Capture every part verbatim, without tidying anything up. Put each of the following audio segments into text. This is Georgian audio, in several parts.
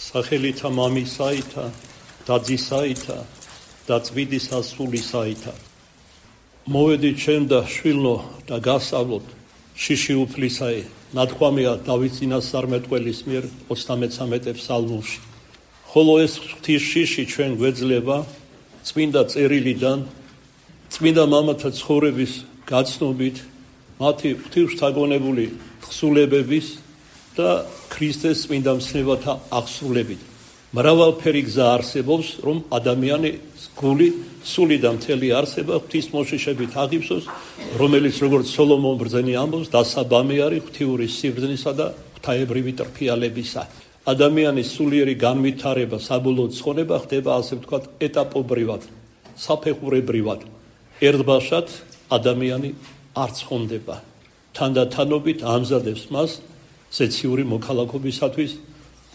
სახელითა მამისაითა და ძისაითა და წმინდისა სულისაითა. მოვედით ჩვენ და შვილო და გასავლოთ შიში უფლისაი, ნათქვამია დავით წინასწარმეტყველის მიერ ოცდამეცამეტე ფსალმულში. ხოლო ეს ღვთის შიში ჩვენ გვეძლება წმინდა წერილიდან, წმინდა მამათა ცხოვრების გაცნობით, მათი ღვთისმშთაგონებული თხზულებების და ქრისტეს წმინდა მცნებათა აღსრულებით. მრავალფერი გზა არსებობს, რომ ადამიანის გული სული და მთელი არსება ღვთის მოშიშებით აღიფსოს, რომელიც როგორც სოლომონ ბრძენი ამბობს, დასაბამი არის ღვთიური სიბრძნისა და ღვთაებრივი ტრფიალებისა. ადამიანის სულიერი განვითარება, საბოლოო ცხონება ხდება, ასე ვთქვათ, ეტაპობრივად, საფეხურებრივად. ერთბაშად ადამიანი არ ცხონდება. თანდათანობით ამზადებს მას ზეციური მოქალაქობისათვის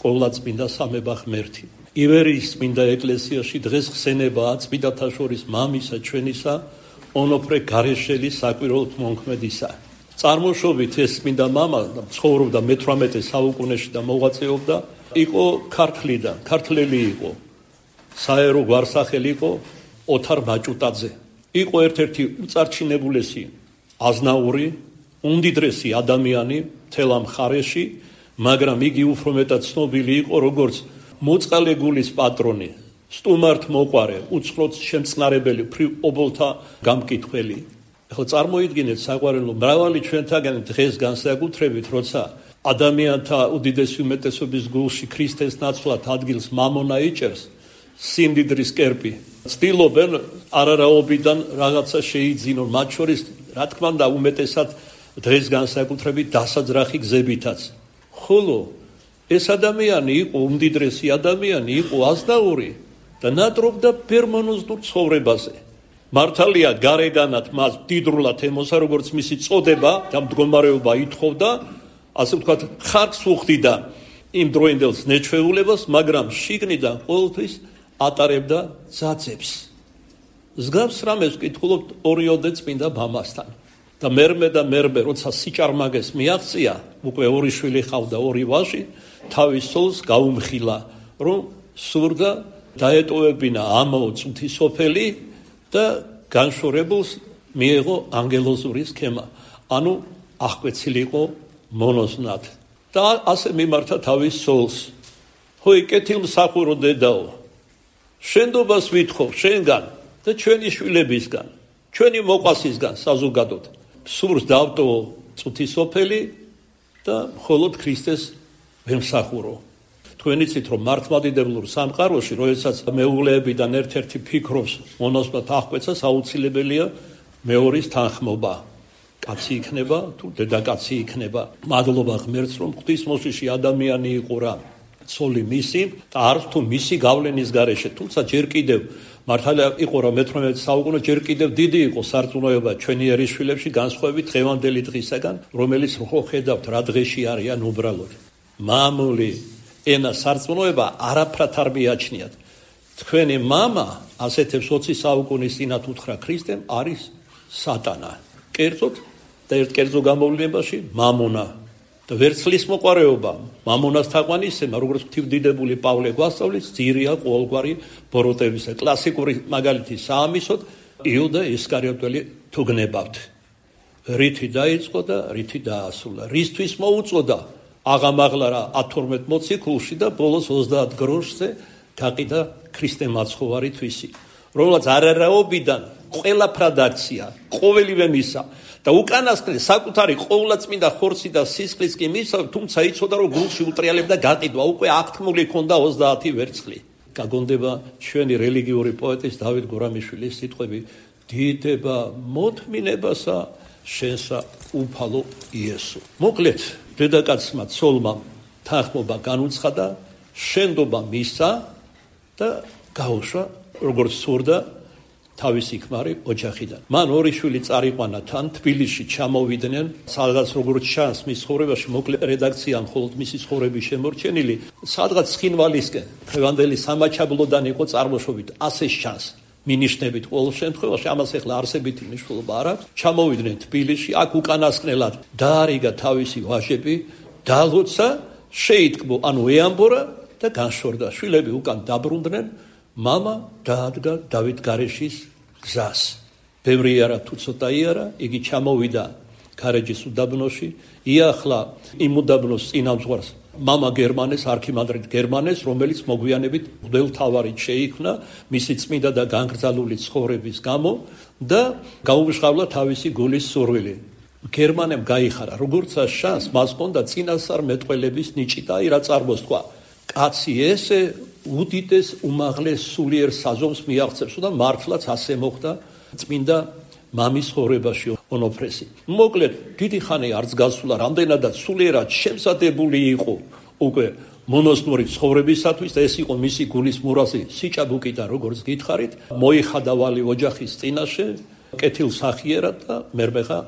ყოვლადწმინდა სამება ღმერთი. ივერიის წმინდა ეკლესიაში დღეს ხსენებაა წმინდათა შორის მამისა ჩვენისა ონოფრე გარეშელის საკვირველთ მონქმედისა. წარმოშობით ეს წმინდა მამა ცხოვრობდა მეთვრამეტე საუკუნეში და მოღვაწეობდა, იყო ქართლიდან, ქართლელი იყო. საერო გვარსახელი იყო ოთარ მაჭუტაძე. იყო ერთ-ერთი უწარჩინებულესი აზნაური, უმდიდრესი ადამიანი მთელ ამ მხარეში, მაგრამ იგი უფრო მეტად ცნობილი იყო როგორც მოწყალე გულის პატრონი, სტუმართ მოყვარე, უცხროდ შემწყნარებელი ობოლთა გამკითხველი. ახლა წარმოიდგინეთ საყვარელო, მრავალი ჩვენთაგან დღეს განსაკუთრებით, როცა ადამიანთა უდიდესი უმეტესობის გულში ქრისტეს ნაცვლად ადგილს მამონა იჭერს, სიმდიდრის კერპი, ცდილობენ არარაობიდან რაღაცა შეიძინონ, მათ შორის, რა თქმა უნდა, უმეტესად დღეს განსაკუთრებით დასაძრახი გზებითაც. ხოლო ეს ადამიანი იყო უმდიდრესი ადამიანი, იყო აზნაური და ნატრობდა ბერმონოზნურ ცხოვრებაზე. მართალია გარეგანად მას დიდრულად ემოსა, როგორც მისი წოდება და მდგომარეობა ითხოვდა, ასე ვთქვათ, ხარკს უხდიდა იმ დროინდელს ნეჩვეულებას, მაგრამ შიგნიდან ყოველთვის ატარებდა ძაძებს. მსგავს რამეს ვკითხულობთ ორიოდე წმინდა მამასთან. და მერმე და მერმე, როცა სიჭარმაგეს მიაღწია, უკვე ორი შვილი ჰყავდა, ორი ვაჟი, თავის სულს გაუმხილა, რომ სურდა დაეტოვებინა ამაო წუთის სოფელი და განშორებულს მიეღო ანგელოზური სქემა, ანუ აღკვეცილიყო მონოზნად. და ასე მიმართა თავის სულს. ჰოი, კეთილმსახურო დედაო, შენდობას ვითხოვ შენგან და ჩვენი შვილებისგან, ჩვენი მოყვასისგან საზოგადოდ. სურს დავტოვო წუთის სოფელი და მხოლოდ ქრისტეს ვემსახურო. თქვენ იცით, რომ მართლმადიდებლურ სამყაროში, როდესაც მეუღლეებიდან ერთ-ერთი ფიქრობს მონაზვნად აღკვეცას, აუცილებელია მეორის თანხმობა. კაცი იქნება თუ დედაკაცი იქნება. მადლობა ღმერთს, რომ ღვთის მოშიში ადამიანი იყო რა, ცოლი მისი და არც თუ მისი გავლენის გარეშე, თუმცა ჯერ კიდევ მართალია იყო რა მეთვრამეტე საუკუნე, ჯერ კიდევ დიდი იყო სარწმუნოება ჩვენი ერისშვილებში, განსხვავებით დღევანდელი დღისაგან, რომელიც რო ხედავთ რა დღეში არიან უბრალოდ. მამული ენა სარწმუნოება არაფრად არ მიაჩნიათ. თქვენი მამა, ასეთებს ოცი საუკუნის წინათ უთხრა ქრისტემ, არის სატანა. კერძოდ და ერთ კერძო გამოვლენებაში მამონა და ვერცხლის მოყარეობა, მამონას თაყვანისცემა, როგორც ღვთივდიდებული პავლე გვასწავლის, ძირია ყოველგვარი ბოროტებისა. კლასიკური მაგალითი საამისოდ იუდა ისკარიოტელი თუ გნებავთ. რითი დაიწყო და რითი დაასრულა. რისთვის მოუწოდა აღამაღლა რა ათორმეტ მოციქულში და ბოლოს ოცდაათ გროშზე გაყიდა ქრისტე მაცხოვარი თვისი, რომელსაც არარაობიდან ყველაფრად აქცია, ყოველივე მისა და უკანასკნელ საკუთარი ყოვლადწმინდა ხორცი და სისხლის კი მისცა, თუმცა იცოდა, რომ გულში უტრიალებდა გაყიდვა, უკვე აღთქმული ჰქონდა ოცდაათი ვერცხლი. გაგონდება ჩვენი რელიგიური პოეტის დავით გურამიშვილის სიტყვები: დიდება მოთმინებასა შენსა უფალო იესო. მოკლედ, დედაკაცმა ცოლმა თანხმობა განუცხადა, შენდობა მისცა და გაუშვა, როგორც სურდა, თავისი ქმარი ოჯახიდან. მან ორი შვილი წარიყვანა თან, თბილისში ჩამოვიდნენ, სადღაც როგორც ჩანს მის ცხოვრებაში, მოკლე რედაქცია მხოლოდ მისი ცხოვრების შემორჩენილი, სადღაც ცხინვალისკენ, დღევანდელი სამაჩაბლოდან იყო წარმოშობით, ასე ჩანს. მინიშნებით ყოველ შემთხვევაში, ამას ახლა არსებითი მნიშვნელობა არ აქვს. ჩამოვიდნენ თბილისში, აქ უკანასკნელად დაარიგა თავისი ვაჟები, დალოცა, შეიტკბო, ანუ ეამბორა და განშორდა. შვილები უკან დაბრუნდნენ, მამა დაადგა დავით გარეშის გზას. ბევრი არა თუ ცოტაი არა, იგი ჩამოვიდა გარეჯის უდაბნოში, იახლა იმ უდაბნოს წინამძღვარს მამა გერმანეს, არქიმანდრიტ გერმანეს, რომელიც მოგვიანებით მღვდელმთავარი შეიქმნა მისი წმინდა და განგრძალული ცხოვრების გამო და გაუმჟღავლა თავისი გულის სურვილი. გერმანემ გაიხარა, როგორც შანს, მას ჰქონდა წინასწარ მეტყველების ნიჭი და აი რა წარმოს თქვა. კაცი ესე უდიდეს უმაღლეს სულიერ საზომს მიაღწევს და მართლაც ასე მოხდა წმინდა მამის ხორებაში ონოფრესი. მოკლედ, დიდი ხანი არც გასულა, რამდენადაც სულიერად შემზადებული იყო უკვე მონოსნური ცხოვრებისათვის და ეს იყო მისი გულის მურაზი სიჭაბუკი და როგორც გითხარით, მოიხადავალი ოჯახის წინაშე, კეთილსახიერად და მერმეღა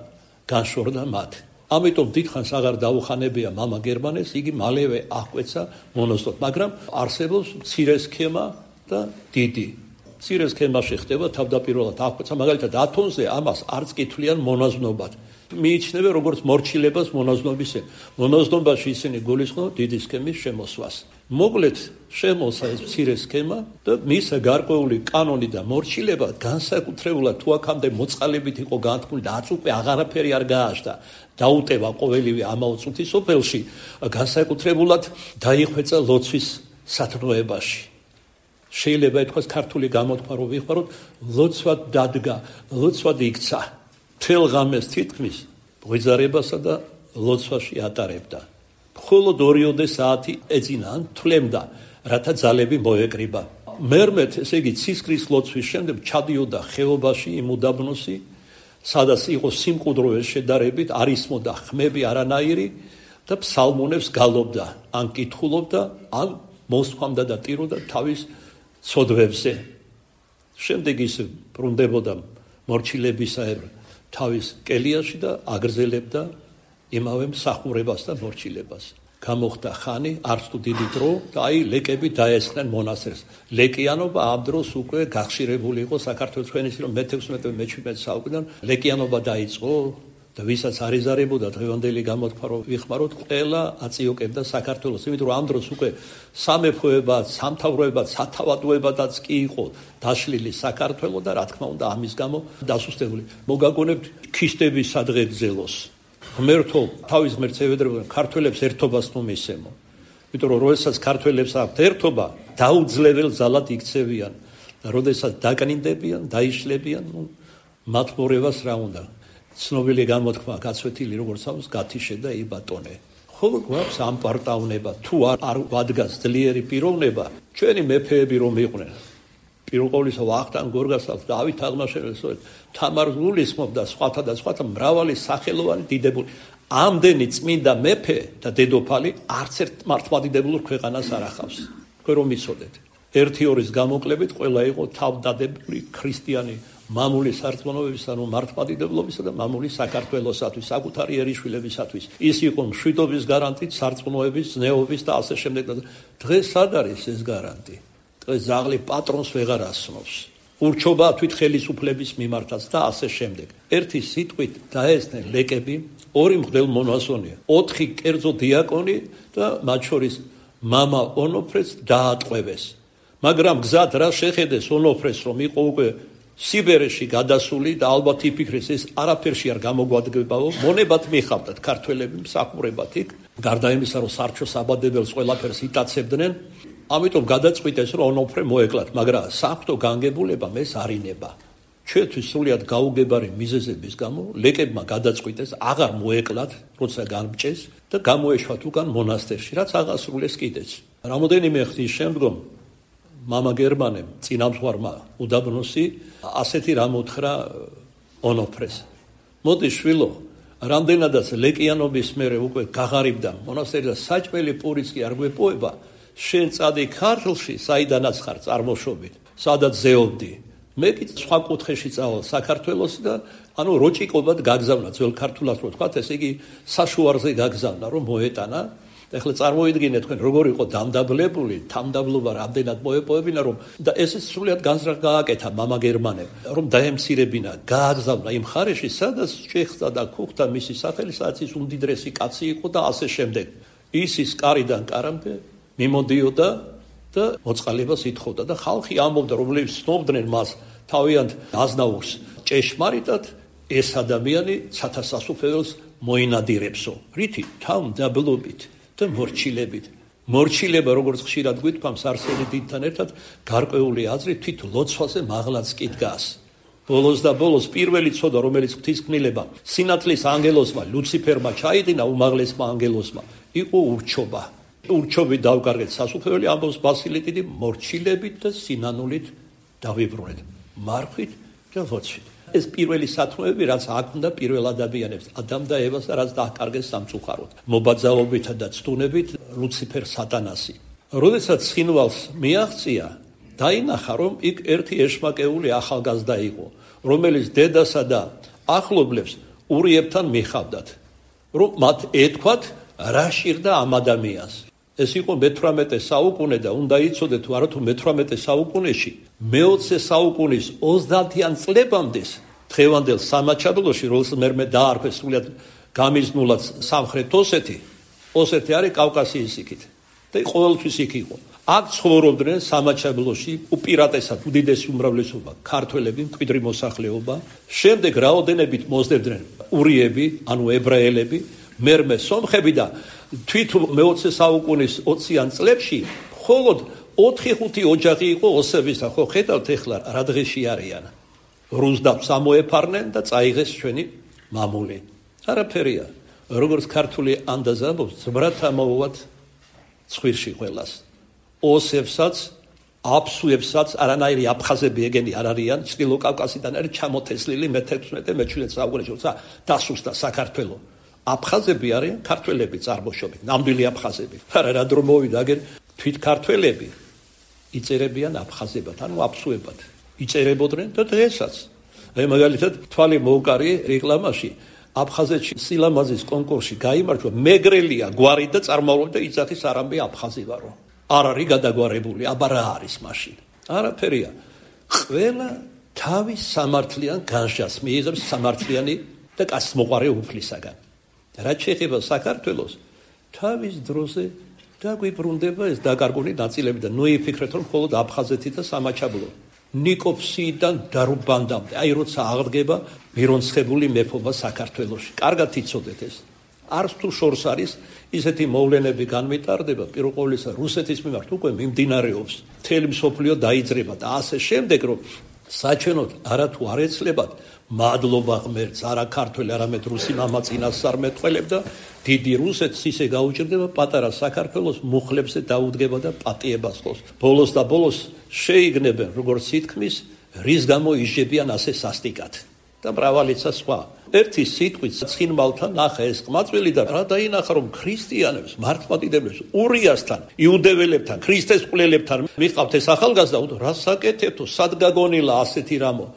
განშორდა მათ. ამიტომ დიდხანს აღარ დაუხანებია მამა გერმანეს, იგი მალევე აღკვეცა მონოსტრად, მაგრამ არსებობს მცირე სქემა და დიდი. მცირე სქემაში ხდება თავდაპირველად აღკვეცა, მაგალითად ათონზე ამას არც კითვლიან მონაზნობად. მიიჩნევენ როგორც მორჩილებას მონაზნობისე. მონაზნობაში ისინი გულისხმობენ დიდი სქემის შემოსვას. მოკლედ შემოსა ეს მცირე სქემა და მის გარკვეული კანონი და მორჩილება განსაკუთრებულად თუ აქამდე მოწყალებით იყო განთქმული და აც უკვე აღარაფერი არ გააჩნდა. დაუტევა ყოველივე ამაო წუთის სოფელში, განსაკუთრებულად დაიხვეწა ლოცვის სათნოებაში. შეიძლება ითქვას ქართული გამოთქმა რომ ვიხმაროთ, ლოცვა დადგა, ლოცვა იქცა. თელ ღამეს თითქმის ღვიძარებასა და ლოცვაში ატარებდა. მხოლოდ ორიოდე საათი ეძინა, თვლემდა, რათა ძალები მოეკრიბა. მერმეთ, ესე იგი ცისკრის ლოცვის შემდეგ ჩადიოდა ხეობაში იმ უდაბნოსი, სადაც იყო სიმყუდროების შედარებით არ ისმოდა ხმები არანაირი და ფსალმუნებს გალობდა, ან კითხულობდა, ან მოსხვამდა და ტიროდა თავის ცოდვებზე. შემდეგ ის ბრუნდებოდა მორჩილებისაებრ თავის კელიაში და აგრძელებდა იმავე მსახურებას და მორჩილებას. გამოხდა ხანი, არც თუ დიდი დრო და აი ლეკები დაესხნენ მონასტერს. ლეკიანობა ამ დროს უკვე გახშირებული იყო საქართველოს ჩვენის რომ მეთექვსმეტე მეჩვიდმეტე საუკუნიდან ლეკიანობა დაიწყო და ვისაც არ ეზარებოდა დღევანდელი გამოთქმა რომ ვიხმაროთ, ყველა აწიოკებდა საქართველოს, იმიტომ რომ ამ დროს უკვე სამეფოებად, სამთავროებად, სათავადოებადაც კი იყო დაშლილი საქართველო და რა თქმა უნდა ამის გამო დასუსტებული. მოგაგონებთ ქისტების სადღეგრძელოს. ღმერთო თავის ღმერთს ევედრებოდნენ ქართველებს ერთობას თუ მისცემო. იმიტომ რომ როდესაც ქართველებს აქვთ ერთობა, დაუძლებელ ძალად იქცევიან და როდესაც დაკნინდებიან, დაიშლებიან, ნუ მათ მორევას რა უნდა. ცნობილი გამოთქმა გაცვეთილი როგორც ამს გათიშე და იბატონე. ხოლო გვაქვს ამ პარტავნება, თუ არ ვადგას ძლიერი პიროვნება, ჩვენი მეფეები რომ იყვნენ. პირველ ყოვლისა ვახტანგ გორგასალს, დავით აღმაშენებელს, თამარ გულისხმობდა სხვათა და სხვათა მრავალი სახელოვანი დიდებული. ამდენი წმინდა მეფე და დედოფალი არც ერთ მართლმადიდებულ ქვეყანას არ ახავს. თქვენ რომ იცოდეთ, ერთი ორის გამოკლებით ყველა იყო თავდადებული ქრისტიანი მამული სარწმუნოებისა, ანუ მართლმადიდებლობისა და მამული საქართველოსათვის, საკუთარი ერიშვილებისათვის. ის იყო მშვიდობის გარანტით, სარწმუნოების, ზნეობის და ასე შემდეგ. დღეს სად არის ეს გარანტი? დღეს ზაღლი პატრონს ვეღარ ასნობს. ურჩობა თვით ხელისუფლების მიმართაც და ასე შემდეგ. ერთი სიტყვით დაესწნენ ლეკები, ორი მღვდელმონაზონია, ოთხი კერძო დიაკონი და მათ შორის მამა ონოფრეს დაატყვევეს. მაგრამ გზად რა შეხედეს ონოფრეს, რომ იყო უკვე სიბერეში გადასული და ალბათ იფიქრეს ეს არაფერში არ გამოგვადგებაო, მონებად მიხავდათ ქართველები მსახურებად იქ, გარდა იმისა, რომ სარჩოს აბადებელს ყველაფერს იტაცებდნენ, ამიტომ გადაწყვიტეს, რომ ონოფრე მოეკლათ, მაგრამ საღვთო განგებულებამ ეს არ ინება. ჩვენთვის სრულიად გაუგებარი მიზეზების გამო ლეკებმა გადაწყვიტეს აღარ მოეკლათ, როცა განმჭეს და გამოეშვათ უკან მონასტერში, რაც აღასრულეს კიდეც. რამოდენიმე ხნის შემდგომ მამა გერმანემ წინამძღვარმა უდაბნოსი ასეთი რამ უთხრა ონოფრეს. მოდი შვილო, რამდენადაც ლეკიანობის მერე უკვე გაღარიბდა მონასტერი და საჭმელი პურიც კი არ გვეპოება, შენ წადი ქართლში, საიდანაც ხარ წარმოშობით, სადაც ზეობდი. მე კი სხვა კუთხეში წავალ საქართველოს და ანუ როჭიკობად გაგზავნა, ძველ ქართულად რო თქვათ, ესე იგი საშუარზე გაგზავნა, რომ მოეტანა. ეხლა წარმოიდგინეთ თქვენ როგორ იყო დამდაბლებული, თამდაბლობა რამდენად მოეპოვებინა, რომ და ესეც სრულიად განზრახ გააკეთა მამა გერმანემ, რომ დაემცირებინა, გააგზავნა იმ ხარეში, სადაც ჭეხდა და ქუხდა მისი სახელი, სადაც ის უმდიდრესი კაცი იყო და ასე შემდეგ. ის ის კარიდან კარამდე მიმოდიოდა და მოწყალებას ითხოვდა და ხალხი ამბობდა, რომლებიც ცნობდნენ მას თავიანთ აზნაურს ჭეშმარიტად, ეს ადამიანი ცათა სასუფეველს მოინადირებსო. რითი? თავმდაბლობით და მორჩილებით. მორჩილება, როგორც ხშირად გვითქვამს არსენი დიდთან ერთად, გარკვეული აზრით თვით ლოცვაზე მაღლაც კი დგას. ბოლოს და ბოლოს პირველი ცოდა, რომელიც ღვთისმკვლელობა სინათლის ანგელოსმა ლუციფერმა ჩაიდინა, უმაღლესმა ანგელოსმა, იყო ურჩობა. ურჩობით დავკარგეთ სასუფეველი, ამბობს ბასილი დიდი, მორჩილებით და სინანულით დავიბრუნეთ. მარხვით და ლოცვით. ეს პირველი სათნოები, რაც აქვთ პირველ ადამიანებს, ადამ და ევას, რაც დააკარგეს სამწუხაროდ, მობაძაობითა და ცდუნებით ლუციფერ სატანასი. როდესაც ცხინვალს მიაღწია, დაინახა, რომ იქ ერთი ეშმაკეული ახალგაზრდა იყო, რომელიც დედასა და ახლობლებს ურიებთან მიხავდათ, რომ მათ ეთქვათ, რა შირდა ამ ადამიანს. ეს იყო მეთვრამეტე საუკუნე და უნდა იცოდეთ, არა თუ მეთვრამეტე საუკუნეში, მეოცე საუკუნის ოცდაათიან წლებამდე დღევანდელ სამაჩაბლოში, რომელსაც მე დაარქვეს სულად გამიზნულად სამხრეთ ოსეთი, ოსეთი არის კავკასიის იქით და ყოველთვის იქ იყო. აქ ცხოვრობდნენ სამაჩაბლოში უპირატესად უდიდესი უმრავლესობა ქართველები, მკვიდრი მოსახლეობა, შემდეგ რაოდენობით მოსდებდნენ ურიები, ანუ ებრაელები, მერმე სომხები და თვით მეოცე საუკუნის ოციან წლებში მხოლოდ ოთხი ხუთი ოჯახი იყო ოსებისა. ხო ხედავთ ეხლა რა დღეში არიან. რუსდაბს ამოეფარნენ და წაიღეს ჩვენი მამული. არაფერია. როგორც ქართული ანდაზა ამბობს, ზბრათ ამოუვათ ცხვირში ყველას. ოსებსაც, აფსუებსაც, არანაირი აფხაზები ეგენი არ არიან, წყილო კავკასიდან არის ჩამოთესლილი მეთექვსმეტე მეჩვიდმეტე საუკუნეში, როცა დასუსტა საქართველო. აფხაზები არიან ქართველები წარმოშობით, ნამდვილი აფხაზები. არა რა დრო მოვიდა, აგერ თვით ქართველები იწერებიან აფხაზებად, ანუ აფსუებად. იწერებოდნენ და დღესაც. აი მაგალითად თვალი მოუკარი რეკლამაში აფხაზეთში სილამაზის კონკურსში გაიმარჯვა მეგრელია გვარი და წარმავლობდა იძახის არამბე აფხაზი ვარო. არ არის გადაგვარებული, აბა რა არის მაშინ? არაფერია. ყველა თავის სამართლიან განშას მიიღებს სამართლიანი და კაცმოყარე უფლისაგან. რაც შეეხება საქართველოს, თავის დროზე დაგვიბრუნდება ეს დაკარგული ნაწილები და ნუ იფიქრეთ, რომ მხოლოდ აფხაზეთი და სამაჩაბლო. ნიკოფსიიდან დარუბანდამდე, აი როცა აღდგება მირონცხებული მეფობა საქართველოში. კარგად იცოდეთ ეს. არც თუ შორს არის ისეთი მოვლენები განმეტარდება, პირველ ყოვლისა რუსეთის მიმართ უკვე მიმდინარეობს. მთელი მსოფლიო დაიძრება და ასე შემდეგ, რომ საჩვენოდ არა თუ არ ეცლებათ მადლობა ღმერთს, არა ქართველი, არამედ რუსი მამაც წინასწარმეტყველებ და დიდი რუსეთს ისე გაუჭირდება, პატარა საქართველოს მუხლებზე დაუდგება და პატიებას ხოს. ბოლოს და ბოლოს შეიგნებენ, როგორც ითქმის, რის გამო იშებიან ასე სასტიკად და მრავალიცა სხვა. ერთი სიტყვით ცხინვალთან ნახა ეს ყმაწვილი და რა დაინახა, რომ ქრისტიანებს, მართლმადიდებლებს, ურიასთან, იუდეველებთან, ქრისტეს მკვლელებთან მიყავთ ეს ახალგაზრდა, რა საკეთებთო, სად გაგონილა ასეთი რამო?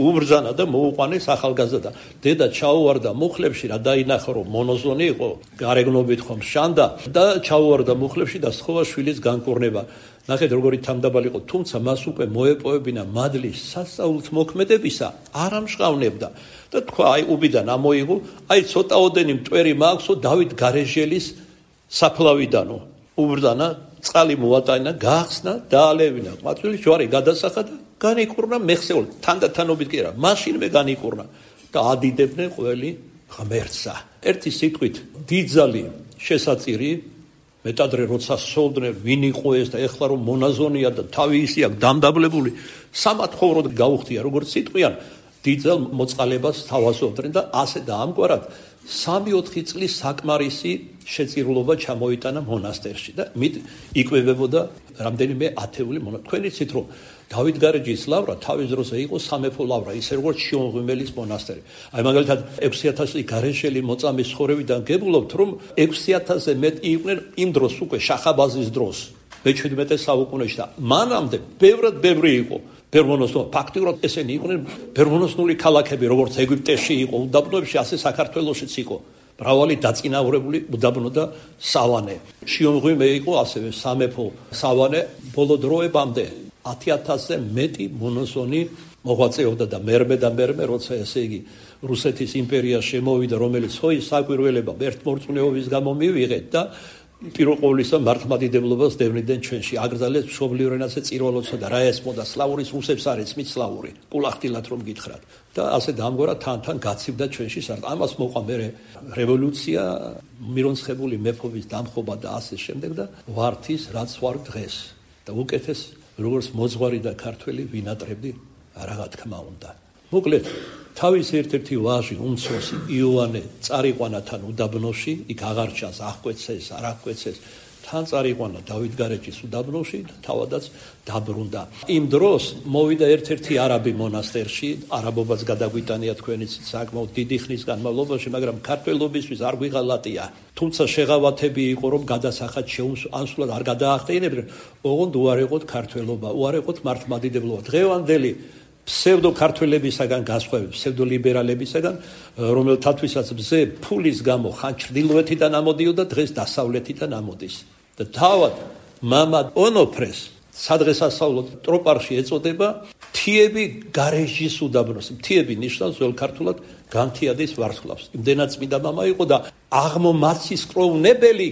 უბრძანა და მოუყვანეს ახალგაზრდა. დედა ჩაუვარდა მუხლებში, რა დაინახა, რომ მონოზონი იყო, გარეგნობით ხომ შანდა და ჩაუვარდა მუხლებში და სთხოვა შვილის განკურნება. ნახეთ როგორი თანდაბალი იყო, თუმცა მას უკვე მოეპოვებინა მადლის სასწაულით მოქმედებისა, არ ამშყავნებდა და თქვა, აი უბიდან ამოიღო, აი ცოტაოდენი მტვერი მააქვსო დავით გარეჟელის საფლავიდანო. უბრძანა, წყალი მოატანა, გაახსნა, დაალევინა. ყმაწვილი ჯვარი გადასახა და განიკურნა მეხსეულ, თანდათანობით კი არა, მაშინვე განიკურნა და ადიდებდნენ ყველი ღმერთსა. ერთი სიტყვით, დიდძალი შესაწირი, მეტადრე როცა სოლდნენ, ვინ იყო ეს და ეხლა რომ მონაზონია და თავი ისე აქვს დამდაბლებული, სამათხოვროდ გაუხდია, როგორც სიტყვიან, დიდძალ მოწყალებას თავაზობდნენ და ასე და ამგვარად სამი ოთხი წლის საკმარისი შეწირულობა ჩამოიტანა მონასტერში და მით იკვებებოდა რამდენიმე ათეული მონა. თქვენ იცით რომ დავით გარეჯის ლავრა თავის დროზე იყო სამეფო ლავრა, ისე როგორც შიომღვიმელის მონასტერი. აი მაგალითად ექვსი ათასი გარეშელი მოწამის ცხოვრებიდან გებულობთ, რომ ექვსი ათასზე მეტი იყვნენ იმ დროს უკვე შახაბაზის დროს, მეჩვიდმეტე საუკუნეში და მანამდე ბევრად ბევრი იყო. ბერმონოსნო ფაქტიურად ესენი იყვნენ ბერმონოსნული ქალაქები, როგორც ეგვიპტეში იყო, უდაბნოებში, ასე საქართველოშიც იყო. მრავალი დაწინაურებული უდაბნო და სავანე. შიომღვიმე იყო ასევე სამეფო სავანე ბოლო დროებამდე. ათი ათასზე მეტი მონოზონი მოღვაწეობდა და მერმე და მერმე, როცა ესე იგი რუსეთის იმპერია შემოვიდა, რომელიც ხო ის საკვირველება ერთმორწმუნეობის გამო მივიღეთ და პირველ ყოვლისა მართლმადიდებლობას დევნიდნენ ჩვენში. აგრძელეს მშობლიურ ენაზე წირველოცვა და რა ესმოდა სლავურის რუსებს არის მით სლავური. კულახტილად რომ გითხრათ. და ასე დამგვარად თან-თან გაცივდა ჩვენში სარდ. ამას მოყვა მე რევოლუცია, მირონცხებული მეფობის დამხობა და ასე შემდეგ და ვართ ის, რაც ვარ დღეს. და უკეთეს როგორც მოძღვარი და ქართველი ვინატრებდი, რა თქმა უნდა. მოკლედ, თავის ერთ-ერთი ვაჟი, უმცროსი იოანე წარიყვანათან უდაბნოში, იქ აღარ ჩანს, აღკვეცეს, არ აღკვეცეს, თან წარიყვანა დავითგარეჯის უდაბნოში და თავადაც დაბრუნდა. იმ დროს მოვიდა ერთ-ერთი არაბი მონასტერში, არაბობაც გადაგვიტანია თქვენიც საკმაოდ დიდი ხნის განმავლობაში, მაგრამ ქართველობისთვის არ გვიღალატია. თუმცა შეღავათები იყო, რომ გადასახად შეუსწავლად არ გადაახტენებდნენ, ოღონდ უარეყოთ ქართველობა, უარეყოთ მართლმადიდებლობა. დღევანდელი ფსევდო ქართველებისაგან გასხვავებით, ფსევდო ლიბერალებისაგან, რომელთათვისაც მზე ფულის გამო ხან ჩრდილოეთიდან ამოდიოდა, დღეს დასავლეთიდან ამოდის. და თავად მამა ონოფრეს სადღესასწაულო ტროპარში ეწოდება მთიები გარეჟის უდაბნოს. მთიები ნიშნავს ძველ ქართულად განთიადის ვარსკვლავს. იმდენად წმინდა მამა იყო და აღმომაცის კროვნებელი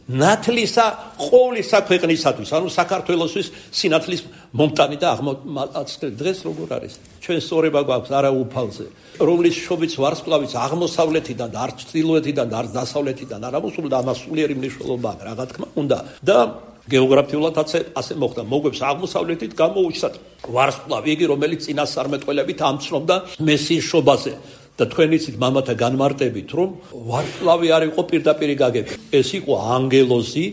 ნათლისა ყოვლისა ქვეყნისათვის, ანუ საქართველოსთვის სინათლის მომტანი და აღმომაცდელი. დღეს როგორ არის? ჩვენ სწორება გვაქვს არა უფალზე, რომლის შობიც ვარსკვლავიც აღმოსავლეთიდან და არ ჩრდილოეთიდან და არ დასავლეთიდან არ ამოსულა და ამას სულიერი მნიშვნელობა აქვს, რა თქმა უნდა. და გეოგრაფიულად ასე მოხდა. მოგვებს აღმოსავლეთით გამოუჩნდათ ვარსკვლავი, იგი რომელიც წინასწარმეტყველებით ამცნობდა მესიის შობაზე. და თქვენ იცით მამათა განმარტებით, რომ ვარსკვლავი არ იყო პირდაპირ გაგები. ეს იყო ანგელოზი,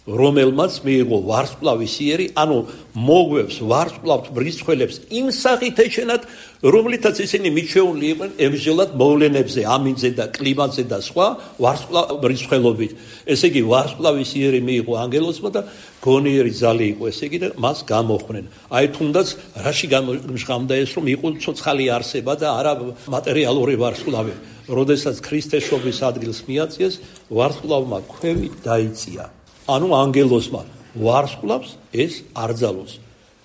რომელმაც მიიღო ვარსკვლავის იერი, ანუ მოგვევს ვარსკვლავთ მრიცხველებს იმ სახით ეჩენათ, რომლითაც ისინი მიჩვეული იყვნენ ემსჯელად მოვლენებზე, ამინძზე და კლიმატზე და სხვა ვარსკვლავ მრიცხველობით. ესე იგი ვარსკვლავის იერი მიიღო ანგელოზმა და გონიერი ძალი იყო, ესე იგი და მას გამოხმდნენ. აი თუნდაც რაში გამჟღავდა ეს, რომ იყო ცოცხალი არსება და არა მატერიალური ვარსკვლავი. როდესაც ქრისტეშობის ადგილს მიაწიეს, ვარსკვლავმა ქვევი დაიწია. ანუ ანგელოზმა ვარსკვლავს ეს არ ძალოს.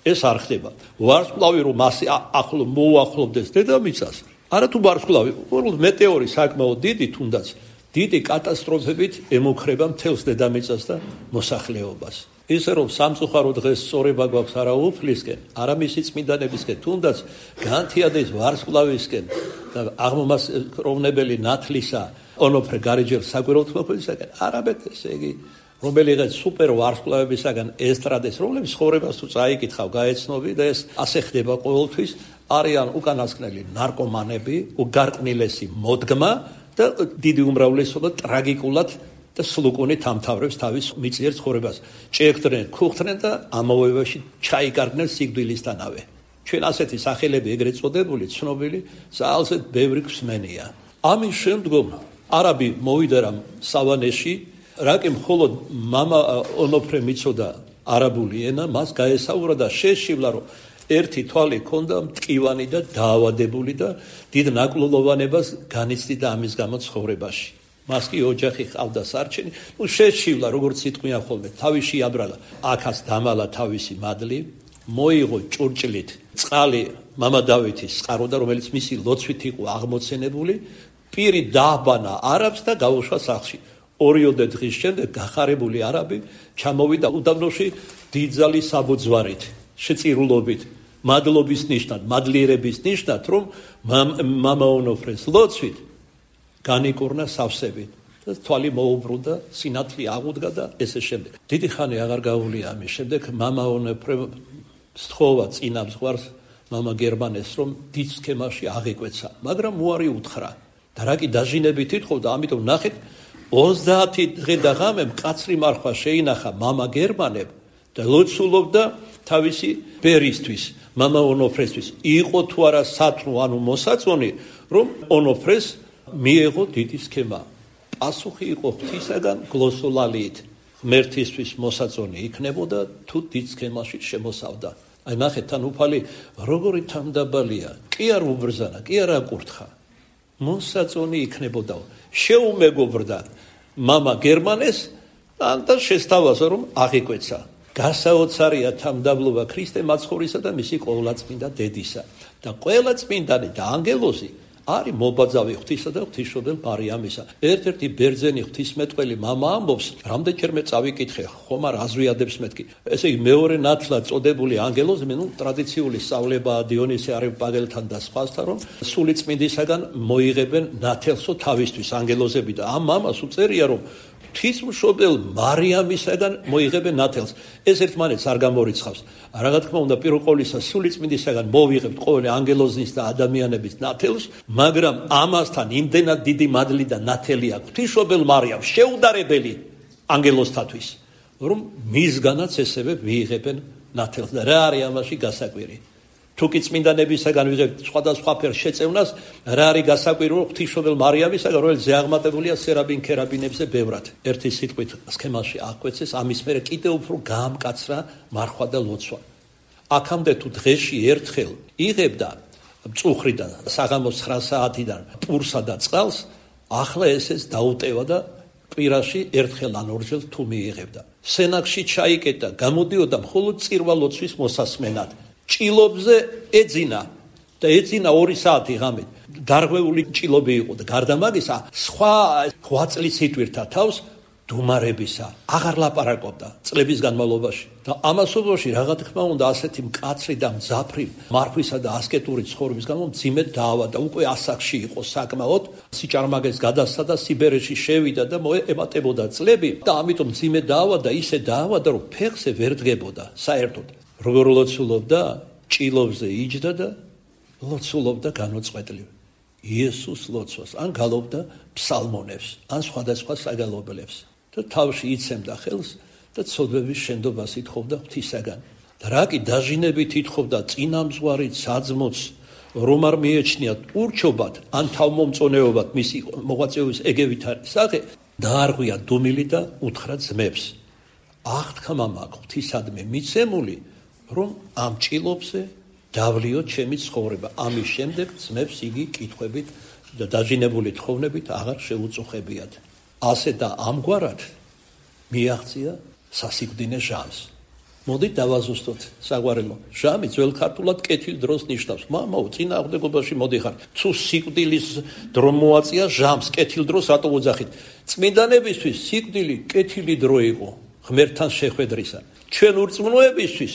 ეს არ ხდება. ვარსკვლავი რომ მასე ახლო მოუახლოვდეს დედამიწას, არა თუ ვარსკვლავი, უბრალოდ მეტეორი საკმაოდ დიდი, თუნდაც დიდი კატასტროფებით ემუქრება მთელს დედამიწას და მოსახლეობას. ისე რომ სამწუხარო დღეს სწორება გვაქვს არა უფლისკენ, არა მისი წმინდანებისკენ, თუნდაც განთიადის ვარსკვლავისკენ და აღმომაცდელი ნათლისა ონოფრე გარეჯელ საგვერელთმოქმედისაგან, არაბეთ ესე იგი რომელიღაც სუპერ ვარსკვლავებისაგან ესტრადეს, რომლების ცხოვრებას თუ წაიკითხავ, გაეცნობი და ეს ასე ხდება ყოველთვის, არიან უკანასკნელი ნარკომანები, უგარყნილესი მოდგმა და დიდი უმრავლესობა ტრაგიკულად და სლუკუნით ამთავრებს თავის მიწიერ ცხოვრებას. ჭექდნენ, ქუხდნენ და ამავეობაში ჩაიკარგნენ სიკვდილისთანავე. ჩვენ ასეთი სახელები ეგრეთ წოდებული, ცნობილი, ძალზედ ბევრი გვსმენია. ამის შემდგომ არაბი მოვიდა რამ სავანეში, რაკი მხოლოდ მამა ონოფრე მიცოდა არაბული ენა, მას გაესაურა და შეშივლა, რომ ერთი თვალი ჰქონდა მტკივანი და დაავადებული და დიდ ნაკლულოვანებას განიცდიდა ამის გამო ცხოვრებაში. მას კი ოჯახი ჰყავდა სარჩენი, ნუ შეშივლა, როგორც სიტყვიან ხოლმე, თავი შეაბრალა, აქაც დამალა თავისი მადლი, მოიღო ჭურჭლით წყალი მამა დავითის წყაროდა, რომელიც მისი ლოცვით იყო აღმოცენებული, პირი დააბანა არაბს და გაუშვა სახლში. ორიოდე დღის შემდეგ გახარებული არაბი ჩამოვიდა უდაბნოში დიდძალი საბუძვარით, შეწირულობით, მადლობის ნიშნად, მადლიერების ნიშნად, რომ მამა ონოფრეს ლოცვით განიკურნა სავსებით და თვალი მოუბრუნდა, სინათლე აღუდგა და ესე შემდეგ. დიდი ხანი აღარ გაუვლია ამის შემდეგ მამა ონოფრე სთხოვა წინა მსხვერპლს მამა გერმანეს, რომ დიდ სქემაში აღიკვეცა, მაგრამ უარი უთხრა. და რა კი დაჟინებით ითხოვდა, ამიტომ ნახეთ ოცდაათი დღე და ღამე მკაცრი მარხვა შეინახა მამა გერმანებ და ლოცულობდა თავისი ბერისთვის, მამა ონოფრესთვის. იყო თუ არა სათნო, ანუ მოსაწონი, რომ ონოფრეს მიეღო დიდი სქემა. პასუხი იყო ღვთისაგან გლოსოლალიით. ღმერთისთვის მოსაწონი იქნებოდა თუ დიდ სქემაში შემოსავდა. აი ნახეთ თან უფალი როგორი თანდაბალია, კი არ უბრძანა, კი არ აკურთხა. მოსაწონი იქნებოდა. შეუმეგობრდა მამა გერმანეს და შესთავაზა, რომ აღიკვეცა. გასაოცარია თამდაბლობა ქრისტე მაცხოვრისა და მისი ყოვლადწმინდა დედისა. და ყოვლადწმინდანი და ანგელოზი არის მობაძავი ღვთისა და ღვთისმშობელ მარიამისა. ერთ-ერთი ბერძენი ღვთისმეტყველი მამა ამბობს, რამდენჯერმე წავიკითხე, ხომ არ აზვიადებს მეთქი. ესე იგი მეორე ნათლად წოდებული ანგელოზი, ნუ ტრადიციული სწავლებაა დიონისე არიოპაგელთან და სხვასთან, რომ სულიწმინდისაგან მოიღებენ ნათელსო თავისთვის ანგელოზები და ამ მამას უწერია, რომ ღვთისმშობელ მარიამისაგან მოიღებენ ნათელს. ეს ერთმანეთს არ გამორიცხავს. რა თქმა უნდა, პირველ ყოვლისა სულიწმინდისაგან მოვიღებთ ყოველი ანგელოზის და ადამიანების ნათელს, მაგრამ ამასთან იმდენად დიდი მადლი და ნათელი აქვს ღვთისმშობელ მარიამს, შეუდარებელი ანგელოზთათვის, რომ მისგანაც ესევე მიიღებენ ნათელს. და რა არის ამაში გასაკვირი? თუკი წმინდანებისაგან ვიღებთ სხვადასხვა ფერ შეწევნას, რა არის გასაკვირი, რომ ღვთისმშობელ მარიამისაგან, რომელიც ზეაღმატებულია სერაბინ ქერაბინებზე ბევრად. ერთი სიტყვით სქემაში აკვეცეს, ამის მერე კიდევ უფრო გაამკაცრა მარხვა და ლოცვა. აქამდე თუ დღეში ერთხელ იღებდა მწუხრიდან, საღამოს ცხრა საათიდან პურსა და წყალს, ახლა ესეც დაუტევა და კვირაში ერთხელ ან ორჯერ თუ მიიღებდა. სენაკში ჩაიკეტა, გამოდიოდა მხოლოდ წირვა ლოცვის მოსასმენად. ჭილობზე ეძინა და ეძინა ორი საათი ღამით. დარღვეული ჭილობი იყო და გარდა მაგისა სხვა რვა წლის იტვირთა თავს დუმარებისა. აღარ ლაპარაკობდა წლების განმავლობაში. და ამასობაში რა თქმა უნდა ასეთი მკაცრი და მძაფრი მარხვისა და ასკეტური ცხოვრების გამო მძიმედ დაავადდა. უკვე ასაკში იყო საკმაოდ, სიჭარმაგეს გადასცა და სიბერეში შევიდა და მოემატებოდა წლები და ამიტომ მძიმედ დაავადდა, ისე დაავადდა, რომ ფეხზე ვერ დგებოდა საერთოდ. როგორ ლოცულობდა, ჭილობზე იჯდა და ლოცულობდა განუწყვეტლივ იესოს ლოცვას, ან გალობდა ფსალმონებს, ან სხვადასხვა საგალობლებს და თავში იცემდა ხელს და ცოდვების შენდობას ითხოვდა ღვთისაგან. და რა კი დაჟინებით ითხოვდა წინამძღვარი საძმოც, რომ არ მიეჩნიათ ურჩობად ან თავმომწონეობად მისი მოღვაწეობის ეგევითარი სახე, დაარღვია დუმილი და უთხრა ძმებს. აღთქმა მაქვს ღვთისადმი მიცემული, რომ ამ ჭილობზე დავლიოთ ჩემი ცხოვრება. ამის შემდეგ ძმებს იგი კითხვებით და დაჟინებული თხოვნებით აღარ შეუწუხებიათ. ასე და ამგვარად მიაღწია სასიკვდინე ჟამს. მოდით დავაზუსტოთ საგვარელო. ჟამი ძველ ქართულად კეთილ დროს ნიშნავს. მამაო, წინააღმდეგობაში მოდიხარ. თუ სიკვდილის დრო მოაწია ჟამს, კეთილ დროს რატო უძახით? წმინდანებისთვის სიკვდილი კეთილი დრო იყო ღმერთთან შეხვედრისა. ჩვენ ურწმუნოებისთვის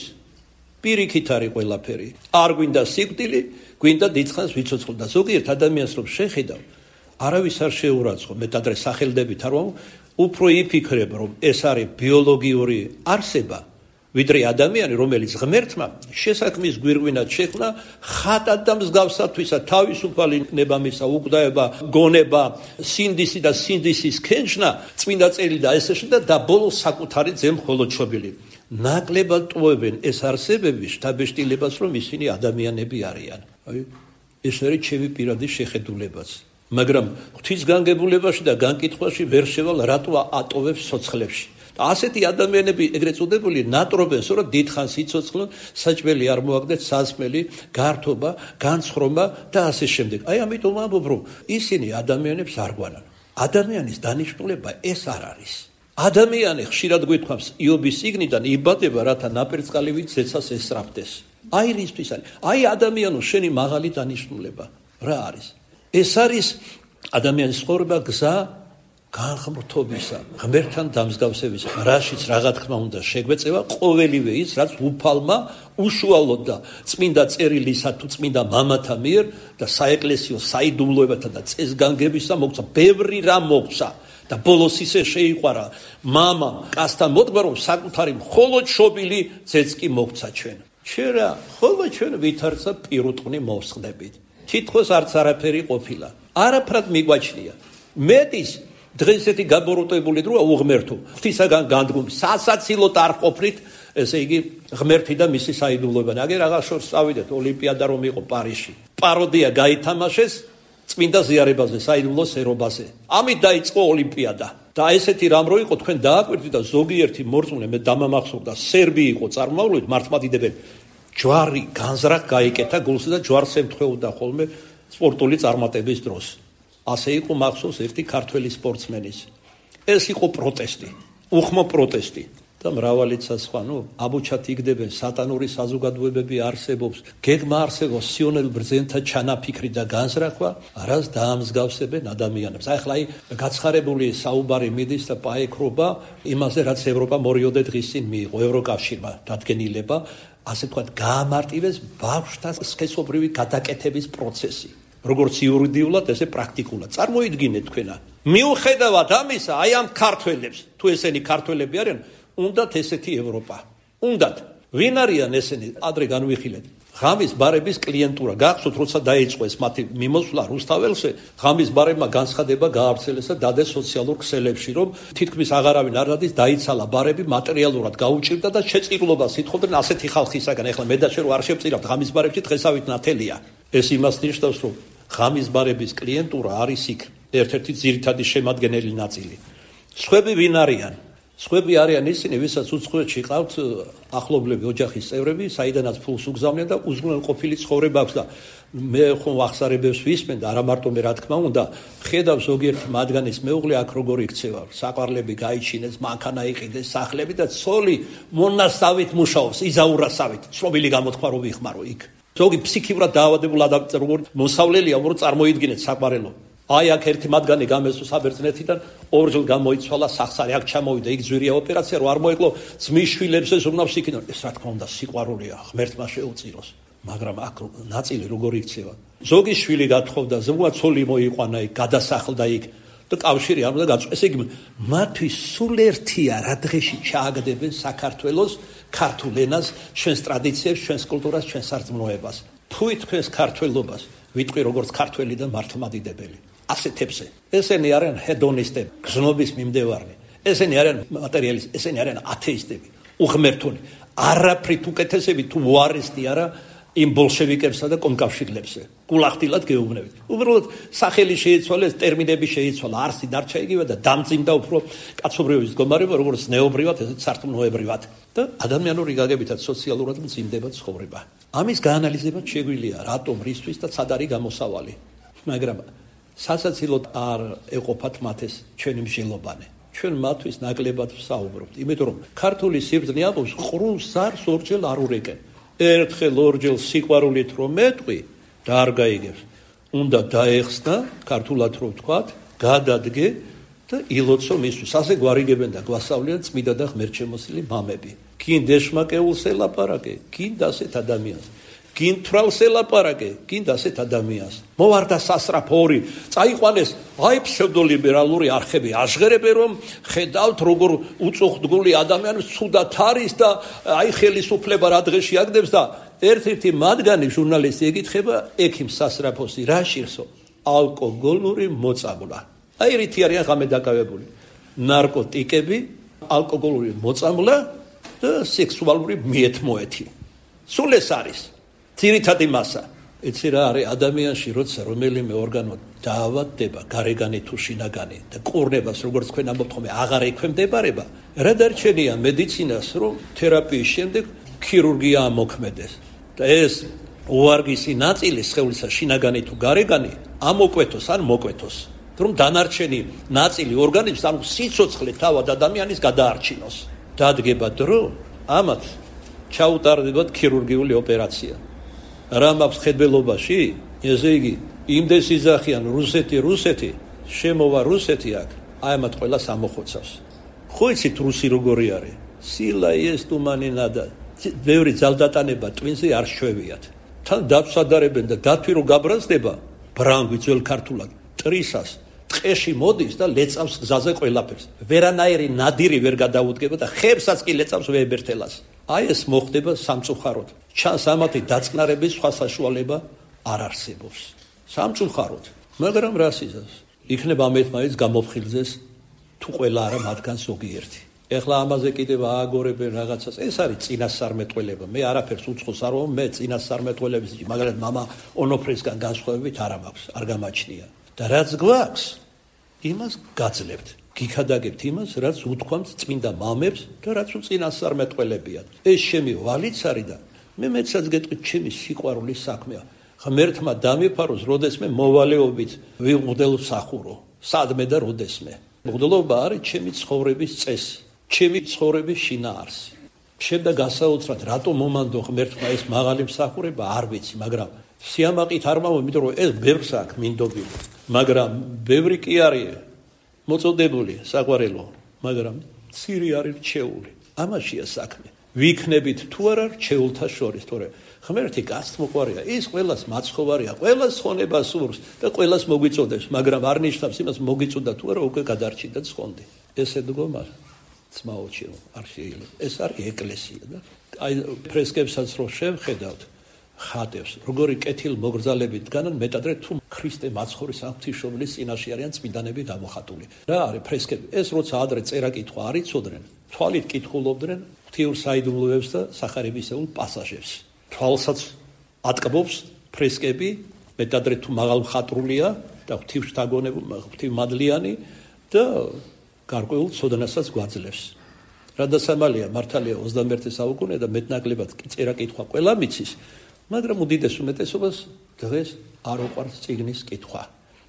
პირიქით არის ყველაფერი. არ გვინდა სიკვდილი, გვინდა დიდხანს ვიცოცხლო და ზოგიერთ ადამიანს რომ შეხედავ, არავის არ შეურაცხო, მეტადრე სახელდებით არ ვამბობ, უფრო იფიქრებ, რომ ეს არის ბიოლოგიური არსება, ვიდრე ადამიანი, რომელიც ღმერთმა შესაქმის გვირგვინად შექმნა, ხატად და მსგავსათვისა თავისუფალი ნება-მისა, უკვდაება, გონება, სინდისი და სინდისის ქენჩნა, წმინდა წერილი და ესეში და ბოლოს საკუთარი ძე მხოლოდ შობილი. ნაკლებად ტოვებენ ეს არსებები შთაბეჭდილებას, რომ ისინი ადამიანები არიან. აი, ეს არის ჩემი პირადი შეხედულებაც. მაგრამ ღვთისგანგებულებაში და განკითხვაში ვერ შევალ, რატო ატოვებს სოცხლებში. და ასეთი ადამიანები ეგრეთ წოდებული ნატრობენს, რომ დიდხანს იცოცხლონ, საჭმელი არ მოაგდეთ, სასმელი, გართობა, განცხრომა და ასე შემდეგ. აი, ამიტომ ამბობ, რომ ისინი ადამიანებს არ გვანან. ადამიანის დანიშნულება ეს არ არის. ადამიანი ხშირად გვითხოვს იობის სიგნიდან იბადება, რათა ნაპერწკალივით ზეცას ესწრაფდეს. აი რისთვის არის? აი ადამიანო, შენი მაღალი დანიშნულება რა არის? ეს არის ადამიანის ცხოვრება გზა განღმრთობისა, ღმერთთან დამსგავსებისა, რაშიც რა თქმა უნდა შეგვეწევა ყოველივე ის, რაც უფალმა უშუალოდ და წმინდა წერილისა თუ წმინდა მამათა მიერ და საეკლესიო საიდუმლოებათა და წესგანგებისა მოგცა, ბევრი რამ მოგცა. და ბოლოს ისე შეიყვარა მამა კაცთან მოდგა, რომ საკუთარი მხოლოდ შობილი ძეც კი მოგცა ჩვენ. ჩვენ რა, ხოლმე ჩვენ ვითარცა პირუტყვი მოვსხდებით. თითქოს არც არაფერი ყოფილა. არაფრად მიგვაჩნია. მეტის დღეს ესეთი გაბოროტებული დროა უღმერთო. ღვთისაგან განდგომი, სასაცილოდ არ ყოფნით, ესე იგი ღმერთი და მისი საიდუმლოება. აგერ აღარ შორს წავიდეთ ოლიმპიადა რომ იყო პარიზში. პაროდია გაითამაშეს წმინდა ზიარებაზე, საიდუმლოს ერობაზე. ამით დაიწყო ოლიმპიადა. და ესეთი რამ რო იყო, თქვენ დააკვირდით და ზოგიერთი მორწმუნე მე დამამახსოვრდა, სერბი იყო წარმავლობით, მართლმადიდებელი. ჯვარი განზრახ გაიკეთა გულსა და ჯვარს ემთხვეოდა ხოლმე სპორტული წარმატების დროს. ასე იყო მახსოვს ერთი ქართველი სპორტსმენის. ეს იყო პროტესტი, უხმო პროტესტი. და და მრავალიც სხვა, ნუ აბუჩად იგდებენ სატანური საზოგადოებები არსებობს, გეგმა არსებობს სიონელ ბრძენთა ჩანაფიქრი და განზრახვა, არას დაამსგავსებენ ადამიანებს. ახლა აი გაცხარებული საუბარი მიდის და პაექრობა იმაზე, რაც ევროპა მორიოდე დღის წინ მიიღო ევროკავშირმა დადგენილება, ასე ვთქვათ, გაამარტივეს ბავშვთა სქესობრივი გადაკეთების პროცესი. როგორც იურიდიულად, ესე პრაქტიკულად. წარმოიდგინეთ თქვენა. მიუხედავად ამისა, აი ამ ქართველებს, თუ ესენი ქართველები არიან, უნდათ ესეთი ევროპა. უნდათ. ვინ არიან ესენი? ადრე განვიხილეთ. ღამის ბარების კლიენტურა. გახსოვთ, როცა დაიწყეს მათი მიმოსვლა რუსთაველში, ღამის ბარებმა განცხადება გაავრცელეს და დადეს სოციალურ ქსელებში, რომ თითქმის აღარავინ არ დადის, დაიცალა ბარები, მატერიალურად გაუჭირდა და შეწირულობას ითხოვდნენ ასეთი ხალხისაგან. ეხლა მე და შენ რო არ შევწირავთ ღამის ბარებში დღესავით ნათელია. ეს იმას ნიშნავს, რომ ღამის ბარების კლიენტურა არის იქ ერთ-ერთი ძირითადი შემადგენელი ნაწილი. სხვები ვინ არიან? სხვები არიან ისინი, ვისაც უცხოეთში ყავთ ახლობლები, ოჯახის წევრები, საიდანაც ფულს უგზავნიან და უზრუნველყოფილი ცხოვრება აქვს და მე ხომ ახსარებებს ვისმენ და არა მარტო მე, რა თქმა უნდა, ხედავ ზოგიერთი მათგანის მეუღლე აქ როგორ იქცევა, საყვარლები გაიჩინეს, მანქანა იყიდეს, სახლები და ცოლი მონასავით მუშაობს, იზაურასავით, ცნობილი გამოთქვა რო ვიხმარო იქ. ზოგი ფსიქიურად დაავადებულ ადამიანს როგორ მოსავლელია, რომ წარმოიდგინეთ საყვარელო. აი აქ ერთი მათგანი გამესო საბერძნეთიდან, ორჯერ გამოიცვალა სახსარი, აქ ჩამოვიდა, იქ ძვირია ოპერაცია, რომ არ მოეკლო ძმის შვილებს ეს უნავს იქიდან. ეს რა თქმა უნდა სიყვარულია, ღმერთმა შეუწიროს, მაგრამ აქ ნაწილი როგორ იქცევა. ზოგი შვილი გათხოვდა, ზოგმა ცოლი მოიყვანა იქ, გადასახლდა იქ და კავშირი არ უნდა გაწყვეს. ესე იგი, მათთვის სულ ერთია რა დღეში ჩააგდებენ საქართველოს ქართულ ენას, ჩვენს ტრადიციებს, ჩვენს კულტურას, ჩვენს სარწმუნოებას. თუი თქვენს ქართველობას, ვიტყვი როგორც ქართველი და მართლმადიდებელი. ასეთებზე. ესენი არიან ჰედონისტები, გზნობის მიმდევარნი. ესენი არიან მატერიალისტები, ესენი არიან ათეისტები, უღმერთონი. არაფრით უკეთესები თუ უარესტი არა იმ ბოლშევიკებსა და კომკავშირლებზე. გულახდილად გეუბნებით. უბრალოდ სახელი შეიცვალეს, ტერმინები შეიცვალა, არსი დარჩა იგივე და დამძიმდა უფრო კაცობრიობის მდგომარეობა, როგორც ნეობრივად, ესეც სარწმუნოებრივად. და ადამიანური გაგებითაც სოციალურად მძიმდება ცხოვრება. ამის გაანალიზება შეგვიძლია, რატომ, რისთვის და სად არის გამოსავალი. მაგრამ სასაცილოდ არ ეყოფათ მათ ეს ჩვენი მსჯელობანი. ჩვენ მათთვის ნაკლებად ვსაუბრობთ, იმიტომ რომ ქართული სიბრძნე ამბობს, ყრუნ ზარს ორჯერ არ ურეკენ. ერთხელ ორჯერ სიყვარულით რომ მეტყვი და არ გაიგებს, უნდა დაეხსნა, ქართულად რო ვთქვათ, გადადგე და ილოცო მისთვის. ასე გვარიგებენ და გვასწავლიან წმიდა და ღმერთშემოსილი მამები. გინ დეშმაკეულს ელაპარაკე, გინ დასეთ ადამიანს. გინ თვალს ელაპარაკე, გინ დასეთ ადამიანს. მოვარდა სასრაფორი, წაიყვანეს აი ფსევდოლიბერალური არხები, აჟღერებენ რომ ხედავთ როგორ უწუხდგული ადამიანს ცუდად არის და აი ხელისუფლება რა დღეში აგდებს და ერთ-ერთი მათგანი ჟურნალისტი ეკითხება ექიმ სასრაფოსი, რა შირსო? ალკოგოლური მოწამვლა. აი რითი არიან ღამე დაკავებული. ნარკოტიკები, ალკოგოლური მოწამვლა და სექსუალური მიეთმოეთი. სულ ეს არის ძირითადი მასა. იცი რა არის ადამიანში, როცა რომელიმე ორგანო დაავადდება, გარეგანი თუ შინაგანი და კურნებას, როგორც თქვენ ამბობთ ხოლმე, აღარ ექვემდებარება, რა დარჩენია მედიცინას, რომ თერაპიის შემდეგ ქირურგია ამოქმედეს. და ეს უარგისი ნაწილი სხეულისა, შინაგანი თუ გარეგანი, ამოკვეთოს ან მოკვეთოს. რომ დანარჩენი ნაწილი ორგანიზმს, ანუ სიცოცხლე თავად ადამიანის გადაარჩინოს. დადგება დრო, ამათ ჩაუტარდებათ ქირურგიული ოპერაცია. რა მაქვს ხედველობაში? ესე იგი, იმდეს იზახიან რუსეთი, რუსეთი, შემოვა რუსეთი აქ, აი ამათ ყველას ამოხოცავს. ხო იცით რუსი როგორი არის? სილა ეს თუმანი ნადა. ბევრი ძალდატანება ტვინზე არ შვევიათ. თან დაცვადარებენ და დათვი რო გაბრაზდება, ბრანგვი ძველ ქართულად, ტრისას, ტყეში მოდის და ლეწავს გზაზე ყველაფერს. ვერანაირი ნადირი ვერ გადაუდგება და ხებსაც კი ლეწავს ვეებერთელას. აი ეს მოხდება სამწუხაროდ. ჩანს ამათი დაწყნარების სხვა საშუალება არ არსებობს. სამწუხაროდ. მაგრამ რას იზავს? იქნება ამეთმაიც გამოფხილზეს თუ ყველა არა მათგან ზოგიერთი. ეხლა ამაზე კიდევ ააგორებენ რაღაცას. ეს არის წინასწარმეტყველება. მე არაფერს უცხოს არ ვამბობ, მე წინასწარმეტყველების, მაგრამ მამა ონოფრისგან განსხვავებით არ მაქვს, არ გამაჩნია. და რაც გვაქვს, იმას გაძლევთ. გიქადაგებთ იმას, რაც უთქვამთ წმინდა მამებს და რაც უწინასწარმეტყველებიან. ეს შემი ვალიც არის და მე მეცაც გეტყვით, ჩემი სიყვარულის საქმეა. ღმერთმა დამიფაროს, როდესმე მოვალეობით ვიმღდელ მსახურო. სადმე და როდესმე. მღვდლობა არის ჩემი ცხოვრების წესი. ჩემი ცხოვრების შინაარსი. Შემდეგ გასაოცრად რატომ მომანდო ღმერთმა ეს მაღალი მსახურება არ ვიცი, მაგრამ სიამაყით არ მავა, იმიტომ რომ ეს ბევრს აქვს მინდობილი, მაგრამ ბევრი კი არის მოწოდებული საყვარელო, მაგრამ ცირი არის რჩეული. ამაშია საქმე. ვიქნებით თუ არა რჩეულთა შორის, თორე ღმერთი გასწმოყვარია, ის ყველას მაცხოვარია, ყველას ხონება სურს და ყველას მოგვიწოდებს, მაგრამ არ ნიშნავს იმას მოგიწოდა თუ არა უკვე გადარჩი და ცხონდი. ესე დგომა ძმაოჩიო, არ შეიძლება. ეს არის ეკლესია და აი ფრესკებსაც რო შევხედავთ, ხატებს, როგორი კეთილმოგრძალებით დგანან, მეტადრე თუ ქრისტე მაცხოვრის ღვთისმშობლის წინაშე არიან წმინდანები გამოხატული. რა არის ფრესკები? ეს როცა ადრე წერა-კითხვა არ იცოდნენ, თვალით კითხულობდნენ ღვთიურ საიდუმლოებს და სახარებისეულ პასაჟებს. თვალსაც ატკბობს ფრესკები, მეტადრე თუ მაღალმხატვრულია და ღვთისმშთაგონებული, ღვთისმადლიანი და გარკვეულ ცოდნასაც გვაძლევს. რადასამალია მართალია ოცდამეერთე საუკუნე და მეტნაკლებად წერა-კითხვა ყველა მიცის, მაგრამ უდიდეს უმეტესობას დღეს არ უყვარს წიგნის კითხვა.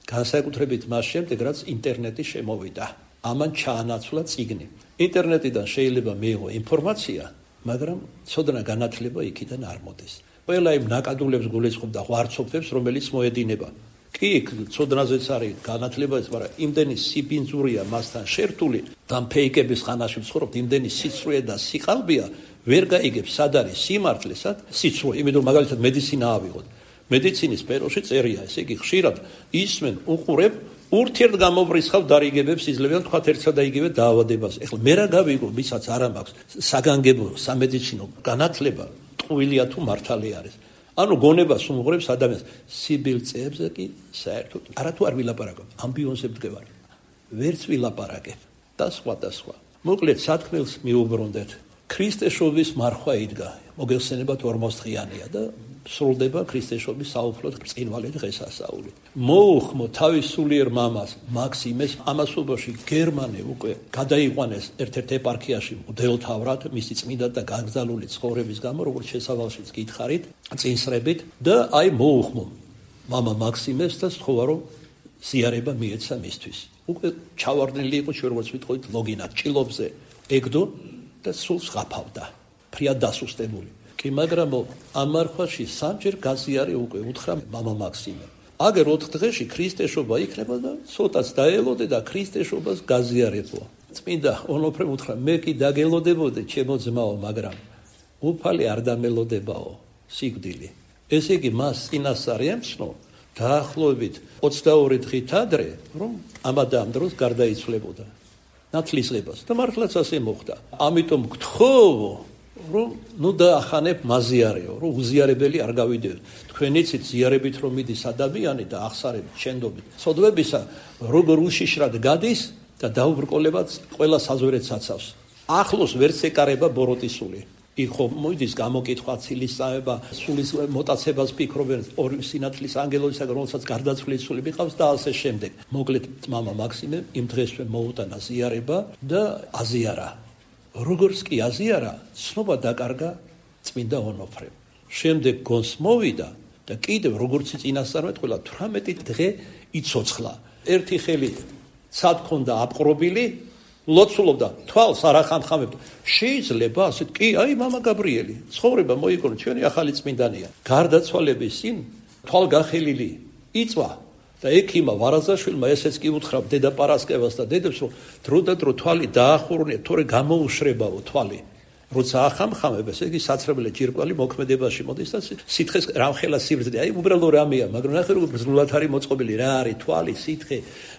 განსაკუთრებით მას შემდეგ, რაც ინტერნეტი შემოვიდა. ამან ჩაანაცვლა წიგნი. ინტერნეტიდან შეიძლება მიიღო ინფორმაცია, მაგრამ ცოდნა განათლება იქიდან არ მოდის. ყველა იმ ნაკადულებს გულისხმობ და ღვარცობებს, რომელიც მოედინება. კი, ცოდნაზეც არის განათლებაც, მაგრამ იმდენი სიბინძურია მასთან შერთული და ფეიკების ხანაში ვცხოვრობთ, იმდენი სიცრუე და სიყალბია, ვერ გაიგებს სად არის სიმართლე, სად სიცრუე. იმიტომ მაგალითად მედიცინა ავიღოთ. მედიცინის სფეროში წერია, ესე იგი ხშირად ისმენ უყურებ ურთიერთ გამობრისხავ დარიგებებს იძლევიან თქვა ერთსა და იგივე დაავადებას. ეხლა მე რა გავიგო, ვისაც არ მაქვს საგანგებო სამედიცინო განათლება, ტყუილია თუ მართალი არის. ანუ გონებას უმღვრებს ადამიანს სიბილწეებზე კი საერთოდ არათუ არ ვილაპარაკებ, ამბიონზე ვდგევარ. ვერც ვილაპარაკებ და სხვა და სხვა. მოკლედ სათქმელს მიუბრუნდეთ. ქრისტეშობის მარხვა იდგა. მოგეხსენებათ ორმოცდღიანია და სრულდება ქრისტეშობის საუფლოდ ბრწყინვალე დღესასწაული. მოუხმო თავის სულიერ მამას მაქსიმეს ამასობაში გერმანე უკვე გადაიყვანეს ერთ-ერთ ეპარქიაში მღვდელთავრად მისი წმინდა და გაგზავნილი ცხოვრების გამო, როგორც შესავალშიც გითხარით, წინსრებით და აი მოუხმო მამა მაქსიმეს და სთხოვა რომ ზიარება მიეცა მისთვის. უკვე ჩავარდნილი იყო, ჩვენ როგორც ვიტყოდით, ლოგინად ჭილობზე ეგდო და სულს ღაფავდა. ფრიად დასუსტებული. კი, მაგრამ ამ მარხვაში სამჯერ გაზიარე უკვე უთხრა მამა მაქსიმე. აგერ ოთხ დღეში ქრისტეშობა იქნება და ცოტაც დაელოდე და ქრისტეშობას გაზიარებო. წმინდა ონოფრემ უთხრა, მე კი დაგელოდებოდე ჩემო ძმაო, მაგრამ უფალი არ დამელოდებაო, სიკვდილი. ესე იგი მას წინასწარ ემცნო დაახლოებით ოცდაორი დღით ადრე, რომ ამადა ამ დროს გარდაიცვლებოდა ნათლისღებას და მართლაც ასე მოხდა. ამიტომ გთხოვო რომ ნუ დაახანებ მაზიარეო, რომ უზიარებელი არ გავიდეო. თქვენ იცით ზიარებით რომ მიდის ადამიანი და ახსარებით, შენდობით, სოდვებისა როგორ უშიშრად გადის და დაუბრკოლებაც ყველა საზვერეთს აცავს. ახლოს ვერც ეკარება ბოროტისული. იქ ხო მოიდის გამოკითხვა, ცილისწავება, სულის მოტაცებას ფიქრობენ, ორი სინათლის ანგელოზისაგან, რომელსაც გარდაცვლილის სული მიყავს და ასე შემდეგ. მოკლედ მამა მაქსიმე იმ დღესვე მოუტანა ზიარება და აზიარა. როგორც კი აზიარა, ცნობა დაკარგა წმინდა ონოფრემ. შემდეგ გონს მოვიდა და კიდევ როგორც წინასწარმეტყველა თვრამეტი დღე იცოცხლა. ერთი ხელი ცად ქონდა აპყრობილი, ლოცულობდა, თვალს არ ახამხამებდა. შეიძლება ასეთ, კი, აი მამა გაბრიელი, ცხოვრება მოიგონა, ჩვენი ახალი წმინდანია. გარდაცვალების წინ თვალგახელილი იწვა და ექიმა ვარაზაშვილმა ესეც კი უთხრა დედა პარასკევას და დედებს, რომ დრო და დრო თვალი დაახურნია, თორე გამოუშრებაო თვალი. როცა ახამხამებ, ესე იგი საცრებელე ჯირკვალი მოქმედებაში მოდის და სითხეს რამხელა სიბრძნე. აი უბრალო რამეა, მაგრამ ნახე როგორ ბრძნულად არის მოწყობილი, რა არის თვალი, სითხე,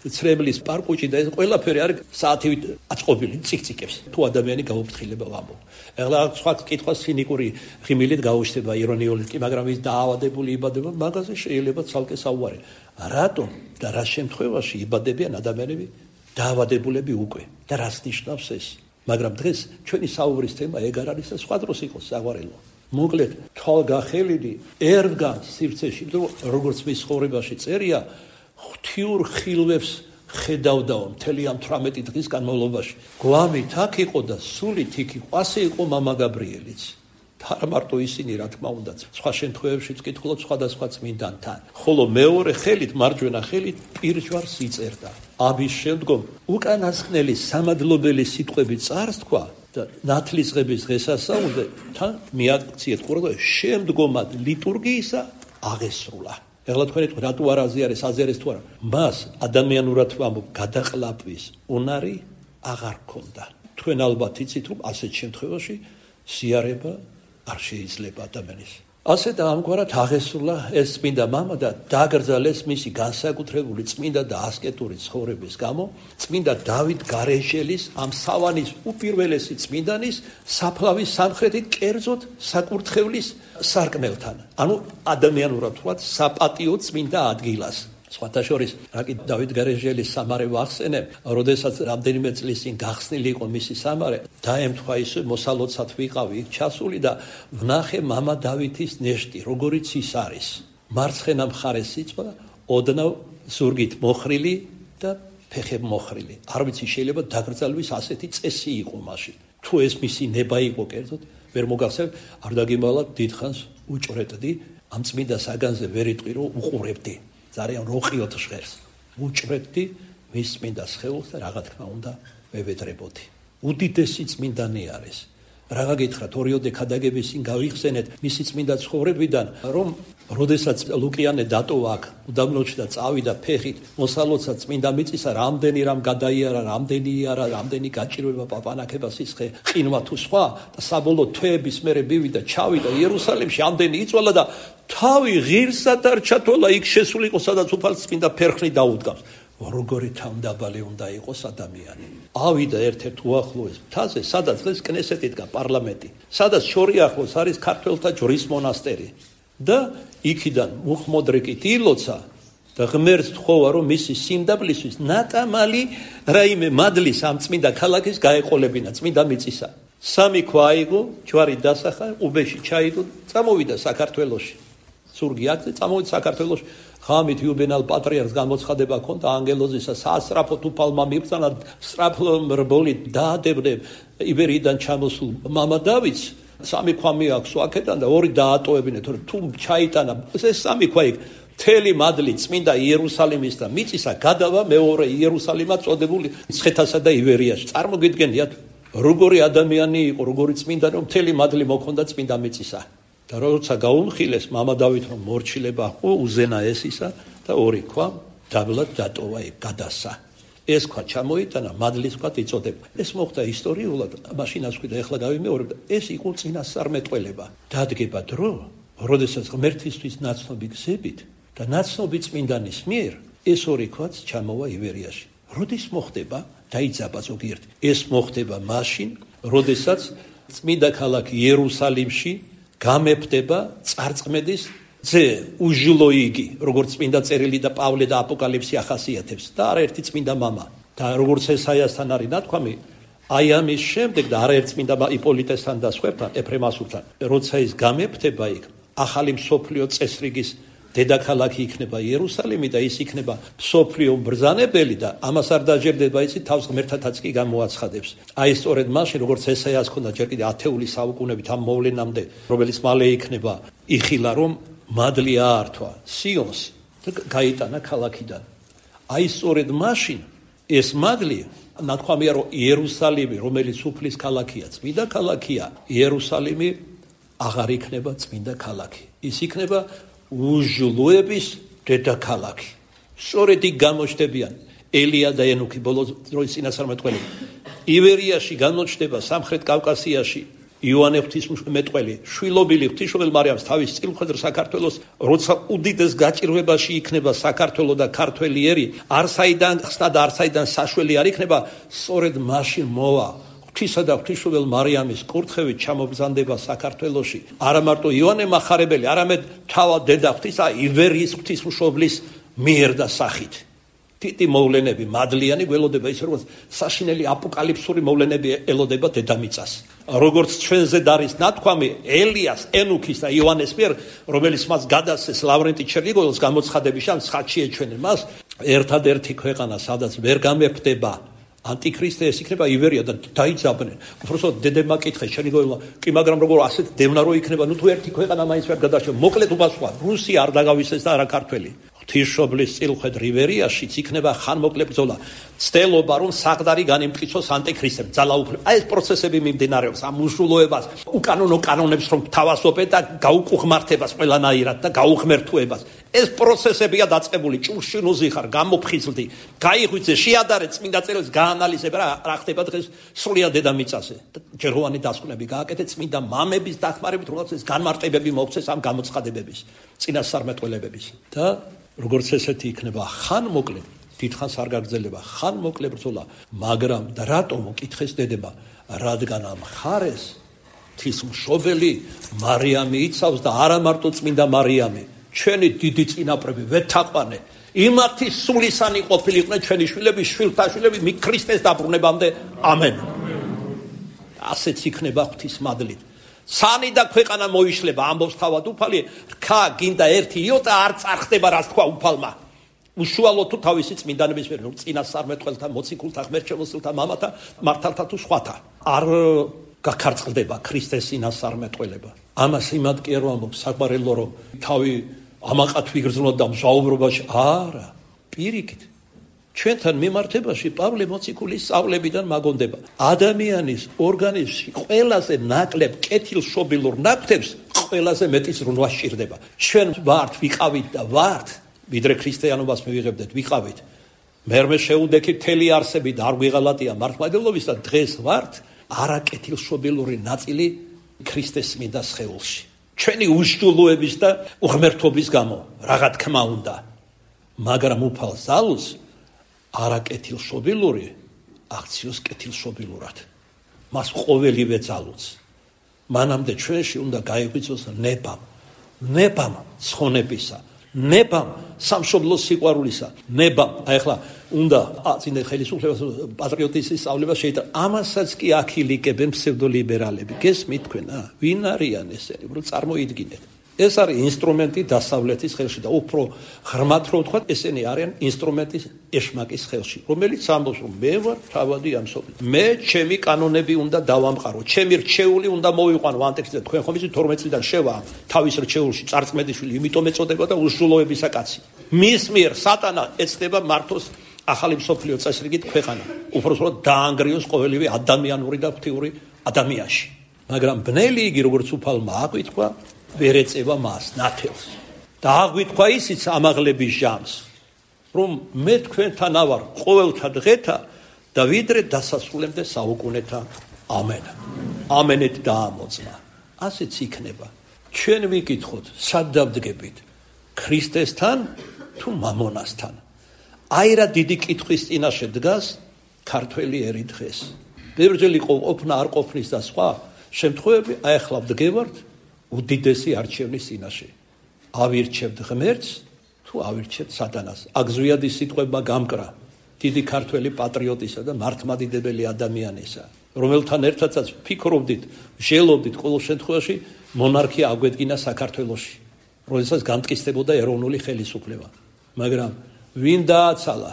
ცრებლის პარკუჭი და ეს ყველაფერი არის საათივით აწყობილი ციკციკებს. თუ ადამიანი გაუფრთხილება ვამბობ. ეხლა სხვა კითხვა ცინიკური ღიმილით გაუჩნდება, ირონიული კი, მაგრამ ის დაავადებული იბადება, მაგაზე შეიძლება ცალკე საუბარი. რატომ და რა შემთხვევაში იბადებიან ადამიანები დაავადებულები უკვე და რას ნიშნავს ეს? მაგრამ დღეს ჩვენი საუბრის თემა ეგ არ არის და სხვა დროს იყოს საყვარელო. მოკლედ თვალგახელილი ერდგა სივრცეში, როგორც მის ცხოვრებაში წერია, ღვთიურ ხილვებს ხედავდაო მთელი ამ თვრამეტი დღის განმავლობაში. გვამით აქ იყო და სულით იქ იყო, ასე იყო მამა გაბრიელიც. არა მარტო ისინი, რა თქმა უნდა, სხვა შემთხვევებშიც კითხულობ სხვადასხვა წმინდანთან. ხოლო მეორე ხელით, მარჯვენა ხელით პირჯვარს იწერდა. ამის შემდგომ უკანასკნელი სამადლობელი სიტყვები წარს თქვა და ნათლისღების დღესასწაულზე თან მიაქციეთ ყურადღება შემდგომად ლიტურგიისა აღესრულა. ეხლა თქვენ ეთქვით, რატო არ აზიარეს, აზიარეს თუ არა? მას ადამიანურად ვამბობ, გადაყლაპვის უნარი აღარ ქონდა. თქვენ ალბათ იცით, რომ ასეთ შემთხვევაში სიარება არ შეიძლება ადამიანის. ასე და ამგვარად აღესრულა ეს წმინდა მამა და დაგრძალეს მისი განსაკუთრებული წმინდა და ასკეტური ცხოვრების გამო წმინდა დავით გარეშელის ამ სავანის უპირველესი წმინდანის საფლავის სამხრეთით კერძოდ საკურთხევლის სარკმელთან. ანუ ადამიანურად ვთქვათ, საპატიო წმინდა ადგილას. სხვათა შორის, რაკი დავით გარეშელის სამარე ვახსენებ, როდესაც რამდენიმე წლის წინ გახსნილი იყო მისი სამარე, დაემთხვა ის მოსალოცად ვიყავი ჩასული და ვნახე მამა დავითის ნეშტი, როგორიც ის არის. მარცხენა მხარეს იწვა, ოდნავ ზურგით მოხრილი და ფეხებ მოხრილი. არ ვიცი, შეიძლება დაკრძალვის ასეთი წესი იყო მაშინ. თუ ეს მისი ნება იყო კერძოდ, ვერ მოგახსენებ, არ დაგიმალავთ, დიდხანს უჭრეტდი, ამ წმინდა საგანზე ვერ იტყვი, რომ უყურებდი. ძალიან როყიოთ ჟღერს. უჭრებდი მის წმინდა სხეულს და რაღა თქმა უნდა მევედრებოდი. უდიდესი წმინდანი არის. რაღა გითხრათ, ორიოდე ქადაგების წინ გავიხსენეთ მისი წმინდა ცხოვრებიდან, რომ როდესაც ლუკიანე დატოვა აქ, უდაბნოში და წავიდა ფეხით, მოსალოცად წმინდა მიწისა, რამდენი რამ გადაიარა, რამდენი იარა, რამდენი გაჭირვება პაპანაკება სისხლე, ყინვა თუ სხვა და საბოლოო თვეების მერე მივიდა, ჩავიდა იერუსალიმში, ამდენი იწვალა და თავი ღირსად არ ჩათვალა, იქ შესული იყო, სადაც უფალს წმინდა ფერხნი დაუდგავს. როგორი თავმდაბალი უნდა იყოს ადამიანი. ავიდა ერთ-ერთ უახლოეს მთაზე, სადაც დღეს კნესეთი დგა, პარლამენტი, სადაც შორი ახლოს არის ქართველთა ჯვრის მონასტერი. და იქიდან მუხმოდრეკით ილოცა და ღმერთს თხოვა, რომ მისი სიმდაბლისთვის ნატამალი რაიმე მადლის ამ წმინდა ქალაქის გაეყოლებინა, წმინდა მიწისა. სამი ქვა აიგო, ჯვარი დასახა, უბეში ჩაიდო, წამოვიდა საქართველოში. ზურგი აქზე წამოვიდა საქართველოში. ხამით იუბენალ პატრიარქს გამოცხადება ჰქონდა ანგელოზისა, სასწრაფოდ უფალმა მიბრძანა, სწრაფო რბოლით დაადებდნენ იბერიდან ჩამოსულ მამა დავითს. სამი ქვა მიაქვს აქედან და ორი დაატოვებინეთ, თუ ჩაიტანა ეს სამი ქვა იქ მთელი მადლი წმინდა იერუსალიმის და მიწისა გადავა მეორე იერუსალიმად წოდებული ცხეთასა და ივერიაში. წარმოგიდგენიათ, როგორი ადამიანი იყო, როგორი წმინდა, რომ მთელი მადლი მოქონდა წმინდა მიწისა. და როცა გაუმხილეს მამა დავით, რომ მორჩილება ხო უზენა ესისა და ორი ქვა დაბლად დატოვა იქ გადასა. ეს ქვა ჩამოიტანა, მადლის ქვა იწოდება. ეს მოხდა ისტორიულად, მაშინაც ვქი და ეხლა გავიმეორებ, ეს იყო წინასწარმეტყველება. დადგება დრო, როდესაც ღმერთისთვის ნაცნობი გზებით და ნაცნობი წმინდანის მიერ ეს ორი ქვაც ჩამოვა ივერიაში. როდის მოხდება? დაიძაბა ზოგიერთი. ეს მოხდება მაშინ, როდესაც წმინდა ქალაქ იერუსალიმში გამეფდება წარწმედის ძე უჟლოიგი, როგორც წმინდა წერილი და პავლე და აპოკალიფსი ახასიათებს და არაერთი წმინდა მამა. და როგორც ესაიასთან არის ნათქვამი, აი ამის შემდეგ და არაერთ წმინდა იპოლიტესთან და სხვებთან, ეფრემასულთან, როცა ის გამეფდება იქ, ახალი მსოფლიო წესრიგის დედაქალაქი იქნება იერუსალიმი და ის იქნება მსოფლიო ბრძანებელი და ამას არ დაჯერდება იცით, თავს ღმერთათაც კი გამოაცხადებს. აი სწორედ მაშინ, როგორც ესაიას ჰქონდა ჯერ კიდე ათეული საუკუნებით ამ მოვლენამდე, რომელიც მალე იქნება, იხილა რომ მადლი აართვა სიონს და გაიტანა ქალაქიდან. აი სწორედ მაშინ ეს მადლი, ნათქვამია რომ იერუსალიმი, რომელიც უფლის ქალაქია, წმინდა ქალაქია, იერუსალიმი აღარ იქნება წმინდა ქალაქი. ის იქნება უჟლოების დედაქალაქი. სწორედ იქ გამოჩნდებიან ელია და ენუქი, ბოლოს დროის წინასწარმეტყველი. ივერიაში გამოჩნდება სამხრეთ კავკასიაში იოანე ღვთისმეტყველი, შვილობილი ღვთისმშობელ მარიამს თავის წილმხედრ საქართველოს, როცა უდიდეს გაჭირვებაში იქნება საქართველო და ქართველი ერი, არსაიდან ხსნა და არსაიდან საშველი არ იქნება, სწორედ მაშინ მოვა ღვთისა და ღვთისმშობელ მარიამის კურთხევით ჩამობრძანდება საქართველოში. არა მარტო იოანე მახარებელი, არამედ თავად დედა ღვთისა ივერიის ღვთისმშობლის მიერ და სახით. თითი მოვლენები მადლიანი გველოდება, ის როგორც საშინელი აპოკალიფსური მოვლენები ელოდება დედამიწას. როგორც ჩვენზე დარის ნათქვამი ელიას, ენუქის და იოანეს მიერ, რომელიც მას გადასცეს ლავრენტი ჩერნიგოველს გამოცხადების ამ ხატში ეჩვენენ მას, ერთადერთი ქვეყანა, სადაც ვერ გამეფდება ანტიქრისტე ეს იქნება ივერია და დაიძაბნენ. უბრალოდ დედებმა კითხეს, შენი გოლა, კი მაგრამ როგორ ასეთ დევნა რო იქნება, ნუ თუ ერთი ქვეყანა მაინც ვერ გადაშევ. მოკლედ უპასუხა, რუსია არ დაგავიწყდეს და არა ქართველი. ღვთისმშობლის წილხვედ რივერიაშიც იქნება ხანმოკლე ბრძოლა. ცდელობა რომ საღდარი განიმტკიცოს ანტიქრისტემ, ძალაუფლება. აი ეს პროცესები მიმდინარეობს, ამ უშულოებას, უკანონო კანონებს რომ თავასობენ და გაუკუღმართებას ყველანაირად და გაუღმერთუებას. ეს პროცესებია დაწყებული, ჭურში ნუზიხარ, გამოფხიზლდი, გაიღვიძე, შეადარე წმინდა წერილს, გაანალიზებ რა რა ხდება დღეს სრულიად დედამიწაზე. ჯეროვანი დასკვნები გააკეთე წმინდა მამების დახმარებით, როგორც ეს განმარტებები მოგვცეს ამ გამოცხადებების, წინასწარმეტყველებების. და როგორც ესეთი იქნება ხანმოკლე, დიდხანს არ გაგრძელება ხანმოკლე ბრძოლა, მაგრამ და რატომ უკითხეს დედება, რადგან ამ ხარეს ღვთისმშობელი მარიამი იცავს და არა მარტო წმინდა მარიამი, ჩვენი დიდი წინაპრები ვეთაყვანე, იმათი სულისანი ყოფილიყვნენ ჩვენი შვილები, შვილთა შვილები მი ქრისტეს დაბრუნებამდე. ამენ. ასეც იქნება ღვთისმადლით. სანი და ქვეყანა მოიშლება, ამბობს თავად უფალი, რქა გინდა ერთი იოტა არ წარხდება, რაც თქვა უფალმა. უშუალოდ თუ თავისი წმინდანების მიერ, წინასწარმეტყველთა, მოციქულთა, ღმერთშემოსილთა, მამათა, მართალთა თუ სხვათა არ გაქარწყლდება ქრისტეს წინასწარმეტყველება. ამას იმად კი არ ვამბობს საყვარელო, რომ თავი ამაყად ვიგრძნოთ და მჟაუბრობაში არა, პირიქით. ჩვენთან მიმართებაში პავლე მოციქულის სწავლებიდან მაგონდება. ადამიანის ორგანიზმში ყველაზე ნაკლებ კეთილშობილურ ნაკვთებს ყველაზე მეტი ზრუნვა სჭირდება. ჩვენ ვართ, ვიყავით და ვართ, ვიდრე ქრისტიანობას მივიღებდეთ, ვიყავით. მერმე შეუდექით მთელი არსებით, არ გვიღალატია მართლმადიდებლობის და დღეს ვართ არაკეთილშობილური ნაწილი ქრისტეს წმინდა სხეულში. ჩვენი უშჯულოების და უღმერთობის გამო, რაღა თქმა უნდა, მაგრამ უფალ ზალუს არაკეთილშობილური აქციოს კეთილშობილურად. მას ყოველივე ძალუც. მანამდე ჩვენში უნდა გაიღვიძოს ნებამ, ნებამ ცხონებისა, ნებამ სამშობლოს სიყვარულისა, ნებამ. აი ახლა უნდა აწინე ხელისუფლებას პატრიოტიზმის სწავლება შეიძლება. ამასაც კი აქილიკებენ ფსევდოლიბერალები. გესმით თქვენ, ა? ვინ არიან ესენი? უბრალოდ წარმოიდგინეთ. ეს არის ინსტრუმენტი დასავლეთის ხელში და უფრო ღრმად რო ვთქვათ, ესენი არიან ინსტრუმენტი ეშმაკის ხელში, რომელიც ამბობს, რომ მე ვარ თავადი ამ სოფლის. მე ჩემი კანონები უნდა დავამყარო, ჩემი რჩეული უნდა მოვიყვანო ანტიქრისტე. თქვენ ხომ იცით თორმეტ წლიდან შევა თავის რჩეულში წარწმედიშვილი, იმიტომ ეწოდება და უშულოებისა კაცი. მის მიერ სატანა ეცდება მართოს ახალი მსოფლიო წესრიგით ქვეყანა. უბრალოდ დაანგრიოს ყოველივე ადამიანური და ღვთიური ადამიანში. მაგრამ ბნელი იგი როგორც უფალმა აღვიქვა ვერ ეწევა მას ნათელს და აღვიქვა ისიც ამაღლების ჟამს, რომ მე თქვენთან ავარ ყოველთა დღეთა და ვიდრე დასასრულემდე საუკუნეთა. ამენ. ამენეთ დაამოწმა. ასეც იქნება. ჩვენ ვიკითხოთ, სად დავდგებით, ქრისტესთან თუ მამონასთან? აი რა დიდი კითხვის წინაშე დგას ქართველი ერი დღეს. ბევრჯერ ყოფნა არ ყოფნის და სხვა შემთხვევები, აი ახლა ვდგევართ უდიდესი არჩევნის წინაშე. ავირჩევთ ღმერთს თუ ავირჩევთ სატანას. აგზვიადის სიტყვებმა გამკრა დიდი ქართველი პატრიოტისა და მართლმადიდებელი ადამიანისა, რომელთან ერთადაც ფიქრობდით, ჟელობდით ყოველ შემთხვევაში მონარქია აგვედგინა საქართველოში, როდესაც განმტკიცდებოდა ეროვნული ხელისუფლება. მაგრამ ვინ დააცალა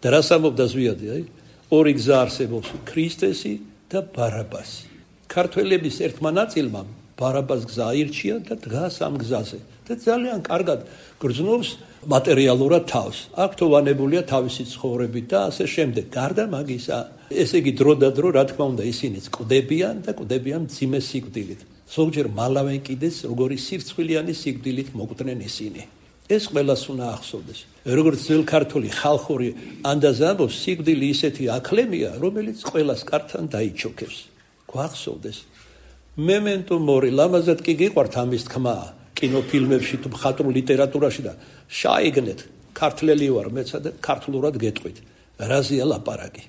და რას ამბობდა ზვიადი? აი, ორი გზა არსებობს, ქრისტესი და ბარაბასი. ქართველების ერთმა ნაწილმა ბარაბას გზა აირჩია და დგას ამ გზაზე და ძალიან კარგად გრძნობს მატერიალურად თავს. აქ თოვანებულია თავისი ცხოვრებით და ასე შემდეგ. გარდა მაგისა, ესე იგი დრო და დრო, რა თქმა უნდა, ისინიც კვდებიან და კვდებიან მძიმე სიკვდილით. ზოგჯერ მალავენ კიდეც როგორი სირცხვილიანი სიკვდილით მოკვდნენ ისინი. ეს ყველას უნდა ახსოვდეს. როგორც ძველ ქართული ხალხური ანდაზა ამბობს, სიკვდილი ისეთი აკლემია, რომელიც ყველას კართან დაიჩოქებს. გვახსოვდეს. მემენტო მორი, ლამაზად კი გიყვართ ამის თქმა, კინოფილმებში თუ მხატვრულ ლიტერატურაში და შაიგნეთ, ქართლელი ვარ მეცა და ქართლურად გეტყვით. რაზეა ლაპარაკი?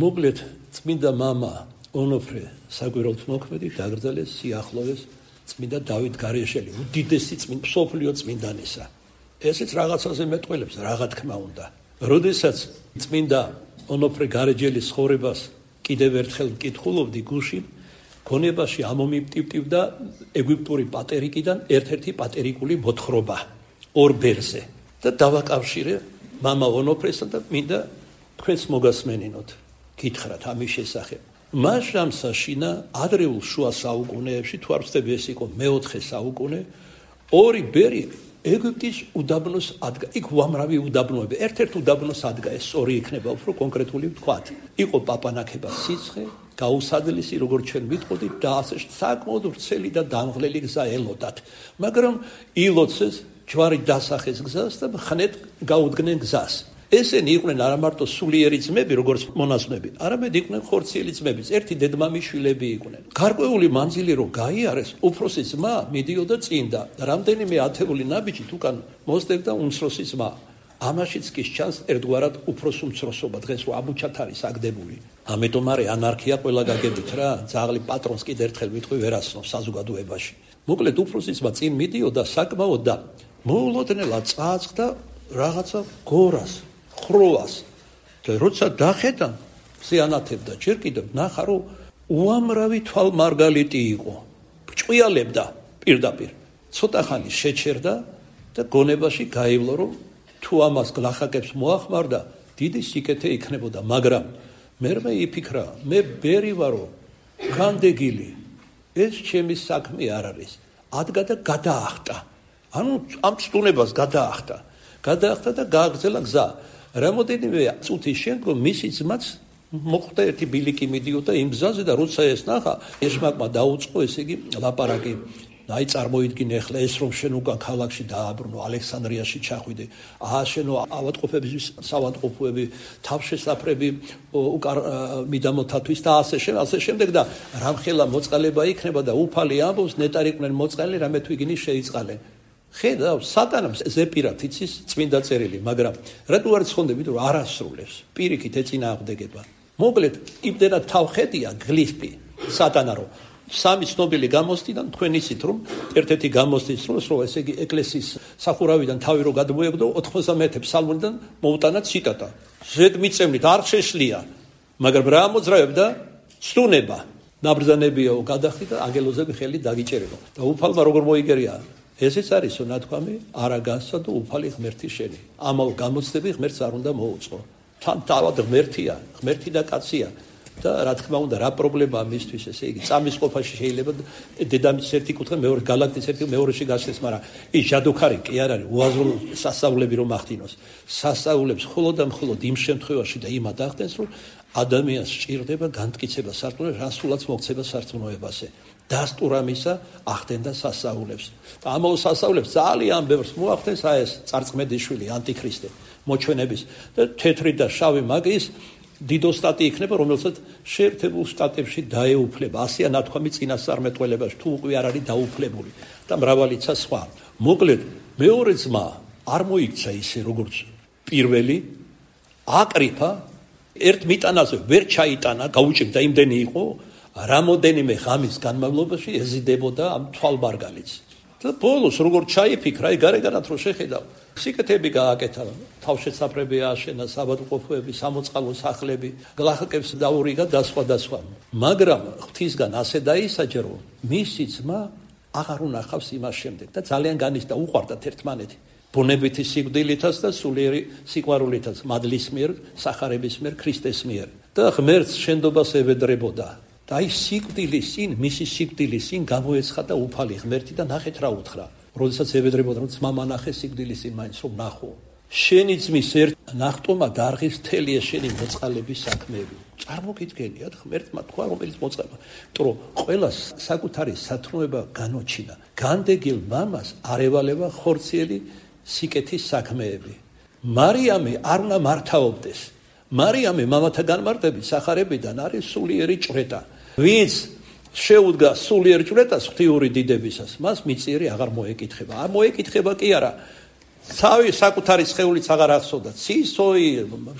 მოგლეთ წმინდა მამა ონოფრე საგვირაოდ მოქმედი დაგრძელეს სიახლოვეს წმინდა დავით გარეშელი, უდიდესი წმინდა მსოფლიო წმინდანისა. ესეც რაღაცაზე მეტყველებს, რაღა თქმა უნდა. როდესაც წმინდა ონოფრე გარეჯელის ცხოვრებას კიდევ ერთხელ მკითხულობდი გულში, გონებაში ამომიპტივტივდა ეგვიპტური პატერიკიდან ერთ-ერთი პატერიკული მოთხრობა ორ ბერზე და დავაკავშირე მამა ონოფრესთან და მინდა თქვენს მოგასმენინოთ. გითხრათ ამის შესახებ. მას შამსაშინა ადრეულ შუა საუკუნეებში თუ არ ვცდები ეს იყო მეოთხე საუკუნე ორი ბერი ეგვიპტის უდაბნოს ადგა. იქ უამრავი უდაბნოები. ერთ-ერთ უდაბნოს ადგა, ეს ორი იქნება უფრო კონკრეტული ვთქვათ. იყო პაპანაკება სიცხე, გაუსადლისი, როგორც ჩვენ ვიტყოდით და ასე საკმაოდ ვრცელი და დამღლელი გზა ელოდათ. მაგრამ ილოცეს ჯვარი დასახეს გზას და ხნეთ გაუდგნენ გზას. ესენი იყვნენ არა მარტო სულიერი ძმები, როგორც მონაზვნები, არამედ იყვნენ ხორციელი ძმებიც, ერთი დედმამიშვილები იყვნენ. გარკვეული მანძილი რო გაიარეს, უფროსი ძმა მიდიოდა წინ და რამდენიმე ათეული ნაბიჯით უკან მოსდებდა უმცროსი ძმა. ამაშიც კი ჩანს ერთგვარად უფროს უმცროსობა, დღეს რო ამუჩათ არის აგდებული. ამიტომ არის ანარქია ყველა გაგებით რა, ძაღლი პატრონს კიდე ერთხელ ვიტყვი ვერასნობს საზოგადოებაში. მოკლედ უფროსი ძმა წინ მიდიოდა საკმაოდ და მოულოდნელად წააწყდა რაღაცა გორას. ხროვას და როცა დახედა ზიანათებდა ჯერ კიდევ ნახა რომ უამრავი თვალმარგალიტი იყო ჭყიალებდა პირდაპირ ცოტა ხანი შეჩერდა და გონებაში გაივლო რომ თუ ამას გლახაკებს მოახმარდა დიდი სიკეთე იქნებოდა მაგრამ მერმე იფიქრა მე ბერი ვარო განდეგილი ეს ჩემი საქმე არ არის ადგა და გადაახტა ანუ ამ სტუნებას გადაახტა გადაახტა და გააგრძელა გზა რამოდენიმე წუთის შემდგომ მისი ძმაც მოხვდა ერთი ბილიკი მიდიოდა იმ გზაზე და როცა ეს ნახა ეშმაკმა დაუწყო ესე იგი ლაპარაკი აი წარმოიდგინე ახლა ეს რომ შენ უკან ქალაქში დააბრუნო ალექსანდრიაში ჩახვიდე აა შენო ავადმყოფების სავადმყოფოები თავშესაფრები უკან მიდამოთათვის და ასე შენ ასე შემდეგ და რამხელა მოწყალება იქნება და უფალი ამბობს ნეტარიყვნენ მოწყალე რამე თუ იგინი შეიწყალენ ხედავ სატანამ ზეპირად იცის წმინდა წერილი მაგრამ რატო არ ცხონდები რომ არასრულებს პირიქით ეწინააღმდეგება მოკლედ იმდენად თავხედია გლიფი სატანა რომ სამი ცნობილი გამოსდიდან თქვენ იცით რომ ერთ-ერთი გამოსდის დროს რომ ესე იგი ეკლესიის სახურავიდან თავი რო გადმოეგდო ოთხმოცდამეათე ფსალმუნიდან მოუტანა ციტატა ზედმიწევნით არ შეშლია მაგრამ რა მოძრაებდა სტუნება ნაბრძანებიაო გადახდი და ანგელოზები ხელი დაგიჭერებო და უფალმა როგორ მოიგერია ესეც არისო ნათქვამი არა განსადო უფალი ღმერთი შენი ამავ გამოცდები ღმერთს არ უნდა მოუწყო თან თავად ღმერთია ღმერთი და კაცია და რა თქმა უნდა რა პრობლემაა მისთვის ესე იგი წამის ყოფაში შეიძლება დედამიწის ერთი კუთხე მეორე galaktis ერთი მეორეში გასცეს მაგრამ ის ჟადოქარი კი არ არის უაზრო სასწაულები რომ ახდინოს სასწაულებს მხოლოდ და მხოლოდ იმ შემთხვევაში და იმად ახდენს რომ ადამიანს სჭირდება განმტკიცება სარწმუნოებაზე რასულაც მოქცება სარწმუნოებაზე დასტურ ამისა ახდენდა სასწაულებს და ამავ სასწაულებს ძალიან ბევრს მოახდენს აი ეს წარწმედიშვილი ანტიქრისტე მოჩვენების და თეთრი და შავი მაგის დიდოსტატი იქნება რომელსაც შეერთებულ შტატებში დაეუფლება ასია ნათქვამი წინასწარმეტყველებაში თუ უკვე არ არის დაუფლებული და მრავალიცა სხვა მოკლედ მეორე ძმა არ მოიქცა ისე როგორც პირველი აკრიფა ერთ მიტანაზე ვერ ჩაიტანა გაუჭირდა იმდენი იყო რამოდენიმე ღამის განმავლობაში ეზიდებოდა ამ თვალმარგალიც და ბოლოს როგორ ჩაიფიქრა აი გარეგანად რო შეხედავ სიკეთები გააკეთა თავშესაფრები ააშენა საბადმყოფოები სამოწყალო სახლები გლახაკებს დაურიგა და სხვა და სხვა მაგრამ ღვთისგან ასე დაისაჯა რომ მისი ძმა აღარ უნახავს იმას შემდეგ და ძალიან განიცდა უყვარდათ ერთმანეთი ბუნებითი სიკვდილითაც და სულიერი სიყვარულითაც მადლის მიერ სახარების მიერ ქრისტეს მიერ და ღმერთს შენდობას ევედრებოდა და აი სიკვდილის წინ მისი სიკვდილის წინ გამოეცხადა უფალი ღმერთი და ნახეთ რა უთხრა როდესაც ევედრებოდა რომ ძმა მანახე სიკვდილის წინ მაინც რომ ნახო შენი ძმის ერთ ნახტომა დარღის თელია შენი მოწყალების საქმეები წარმოგიდგენიათ ღმერთმა თქვა რომელიც მოწყალება იმიტომ რომ ყველა საკუთარი სათნოება განოჩინა განდეგილ მამას არ ევალება ხორციელი სიკეთის საქმეები მარიამი არ უნდა მართავობდეს მარიამი მამათა განმარტებით სახარებიდან არის სულიერი ჭვრეტა ვინც შეუდგა სულიერ ჭვრეტას ღვთიური დიდებისას მას მიწიერი აღარ მოეკითხება არ მოეკითხება კი არა თავი საკუთარი სხეულიც აღარ ახსოვდა ცისოი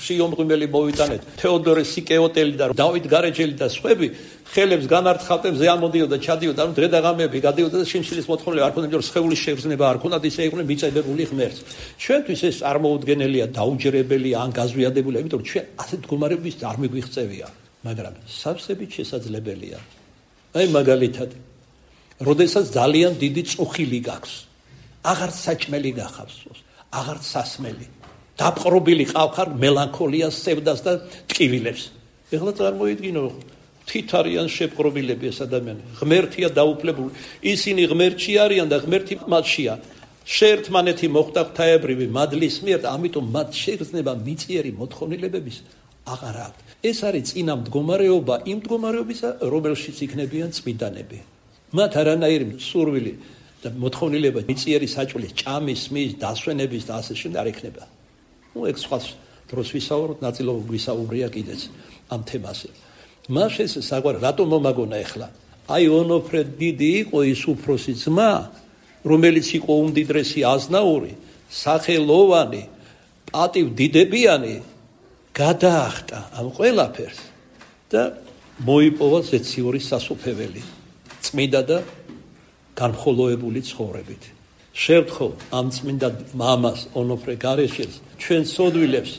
შიომღვიმელი მოვიტანეთ თეოდორე სიკეოტელი და დავით გარეჯელი და სხვები ხელებს განართხავდნენ ზე ამოდიოდა ჩადიოდა ანუ დღე და ღამეები გადიოდა და შიმშილის მოთხოვნილება არ ქონდა იმიტომ სხეულის შეგრძნება არ ქონდათ ისე იყვნენ მიწებებული ღმერთს ჩვენთვის ეს არ მოუდგენელია დაუჯერებელია ან გაზვიადებელია იმიტომ რომ ჩვენ ასეთ მდგომარეობის არ მიგვიღწევია მაგრამ სავსებით შესაძლებელია აი მაგალითად როდესაც ძალიან დიდი წუხილი გაქვს აღარ საჭმელი გახავს აღარ სასმელი დაპყრობილი ყავხარ მელანქოლიას სევდას და ტკივილებს ეხლა წარმოიდგინო, თით არიან შეპყრობილები ეს ადამიანები, ღმერთია დაუფლებული, ისინი ღმერთში არიან და ღმერთი მათშია. შეერთმანეთი მოხდა ღვთაებრივი მადლის მიერ, ამიტომ მათ შეგრძნება მიწიერი მოთხოვნილებების აღარ აქვთ. ეს არის წინა მდგომარეობა იმ მდგომარეობისა, რომელშიც იქნებიან წმინდანები. მათ არანაირი სურვილი და მოთხოვნილება მიწიერი საჭვლის ჭამის, მის, დასვენების და ასე შემდეგ არ ექნება. ნუ ეგ სხვა დროს ვისაუბროთ, ნაწილობრივ ვისაუბრია კიდეც ამ თემაზე. მას ეს საგვარი რატომ მომაგონა ეხლა? აი ონოფრე დიდი იყო ის უფროსი ძმა, რომელიც იყო უმდიდრესი აზნაური, სახელოვანი, პატივდიდებიანი, გადაახტა ამ ყველაფერს და მოიპოვა ზეციური სასუფეველი, წმინდა და განხოლოებული ცხოვრებით. შევთხოვ ამ წმინდა მამას ონოფრე გარეშელს, ჩვენ სოდვილებს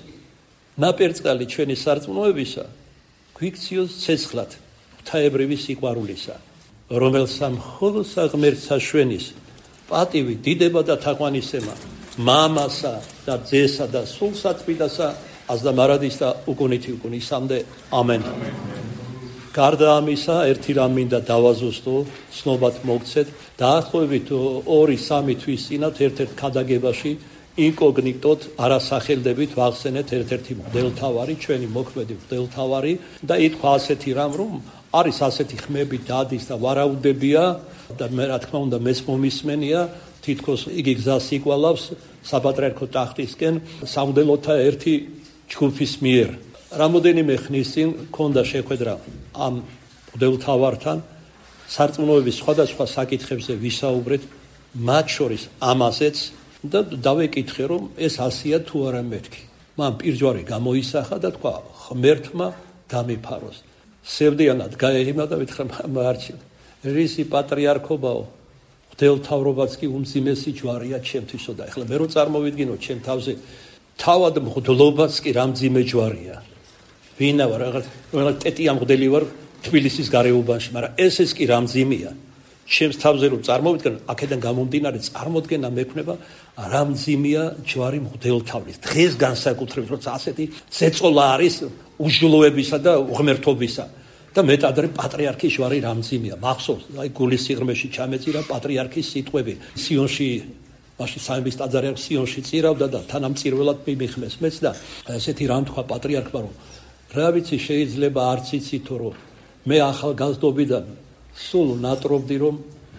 ნაპერწკალი ჩვენი სარწმუნოებისა გვიქციოს ცეცხლად ღვთაებრივი სიყვარულისა, რომელსა მხოლოდ ღმერთს აშვენის პატივი, დიდება და თაყვანისცემა მამასა და ძესა და სულ საწმინდასა აზდა მარადის და უკუნითი უკუნისამდე. ამენ. გარდა ამისა, ერთი რამ მინდა დავაზუსტო, ცნობად მოგცეთ, დაახლოებით ორი სამი თვის წინათ ერთ-ერთ ქადაგებაში ინკოგნიტოდ არასახელდებით ვახსენეთ ერთ-ერთი მღვდელთავარი, ჩვენი მოქმედი მღვდელთავარი და ითქვა ასეთი რამ, რომ არის ასეთი ხმები დადის და ვარაუდებია და მე რა თქმა უნდა მეც მომისმენია, თითქოს იგი გზას იკვალავს საპატრიარქო ტახტისკენ სამღვდელოთა ერთი ჯგუფის მიერ. რამოდენიმე ხნის წინ ქონდა შეხვედრა ამ მღვდელთავართან, სარწმუნოების სხვადასხვა საკითხებზე ვისაუბრეთ, მათ შორის ამაზეც და დავეკითხე, რომ ეს ასია თუ არა მეთქი. მან პირჯვარი გამოისახა და თქვა, ღმერთმა დამიფაროს. სევდიანად გაეღიმა და ვითხრა, მარჩილ, რისი პატრიარქობაო, მღვდელთავრობაც კი უმძიმესი ჯვარია ჩემთვისო და ეხლა მე რო წარმოვიდგინო ჩემ თავზე თავად მღვდლობაც კი რამძიმე ჯვარია. ვინა ვარ, რაღაც ტეტია მღვდელი ვარ თბილისის გარეუბანში, მაგრამ ეს ეს კი რამძიმეა. ჩემს თავზე რომ წარმოვიდგენ, აქედან გამომდინარე წარმოდგენა მექნება, რამძიმეა ჯვარი მღვდელთავრის. დღეს განსაკუთრებით, როცა ასეთი ზეწოლა არის უშულოებისა და უღმერთობისა. და მეტად პატრიარქის ჯვარი რამძიმეა. მახსოვს, აი გულის სიღრმეში ჩამეწირა პატრიარქის სიტყვები. სიონში მაშინ სამების ტაძარი სიონში წირავდა და თანამწირველად მიმიხმეს მეც და ესეთი რამ თქვა პატრიარქმა, რომ რა ვიცი, შეიძლება არც იცითო, რომ მე ახალგაზრდობიდან სულ ნატრობდი, რომ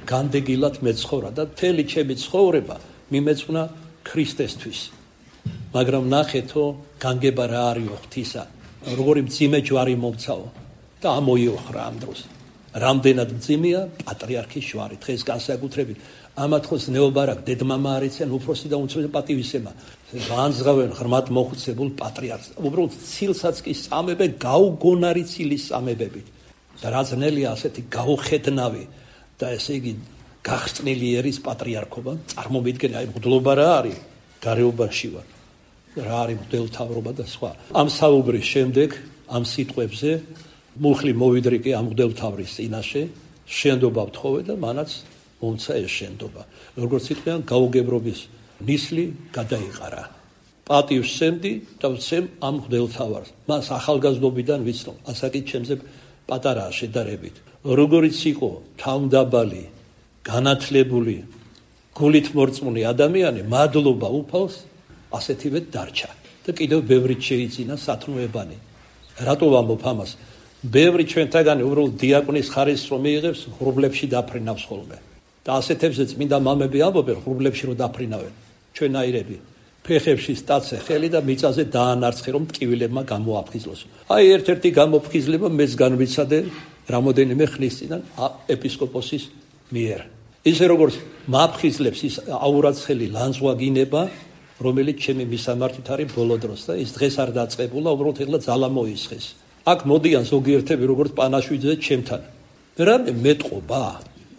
განდეგილად მეცხოვრა და მთელი ჩემი ცხოვრება მიმეწვნა ქრისტესთვის. მაგრამ ნახეთო, განგება რა არისო ღვთისა, როგორი მძიმე ჯვარი მომცაო და ამოიოხრა ამ დროს. რამდენად მძიმეა პატრიარქის ჯვარი, დღეს განსაკუთრებით ამათქოს ნეობარაკ დედმამა არიცენ, უფროსი და უმცროსი პატივისცემა. განზღავენ ღრმად მოხუცებულ პატრიარქს. უბრალოდ ცილსაც კი სამებენ გაუგონარი ცილის სამებებით. და რა ძნელია ასეთი გაუხედნავი და ესე იგი გახსნილი ერის პატრიარქობა, წარმომიდგენ, აი მღვდლობა რა არის, გარეუბანში ვარ. რა არის მღვდელთავრობა და სხვა. ამ საუბრის შემდეგ, ამ სიტყვებზე მუხლი მოვიდრიკე ამ მღვდელთავრის წინაშე, შენდობა ვთხოვე და მანაც მომცა ეს შენდობა. როგორც იტყვიან, გაუგებრობის ნისლი გადაიყარა. პატივს სცემდი და ვცემ ამ მღვდელთავარს. მას ახალგაზრდობიდან ვიცნობ, ასაკით ჩემზე პატარაა შედარებით. როგორიც იყო თავმდაბალი, განათლებული, გულით მორწმუნე ადამიანი, მადლობა უფალს ასეთივე დარჩა და კიდევ ბევრი შეიძინა სათნოებანი. რატო ვამბობ ამას? ბევრი ჩვენთაგანი უბრალოდ დიაკონის ხარისხს რომ მიიღებს, ღრუბლებში დაფრინავს ხოლმე. და ასეთებზე წმინდა მამები ამბობენ, ღრუბლებში რომ დაფრინავენ. ჩვენაირები ფეხებში სტაცე ხელი და მიწაზე დაანარცხე, რომ ტკივილებმა გამოაფხიზლოს. აი ერთ-ერთი გამოფხიზლება მეც განვიცადე რამოდენიმე ხნის წინ ეპისკოპოსის მიერ. ისე როგორც მაფხიზლებს ის აურაცხელი ლანძღვაგინება, რომელიც ჩემი მისამართით არის ბოლო დროს და ის დღეს არ დაწყებულა, უბრალოდ ეხლა ძალა მოისხეს. აქ მოდიან ზოგიერთები როგორც პანაშვიძე ჩემთან. რამე მეტყობა,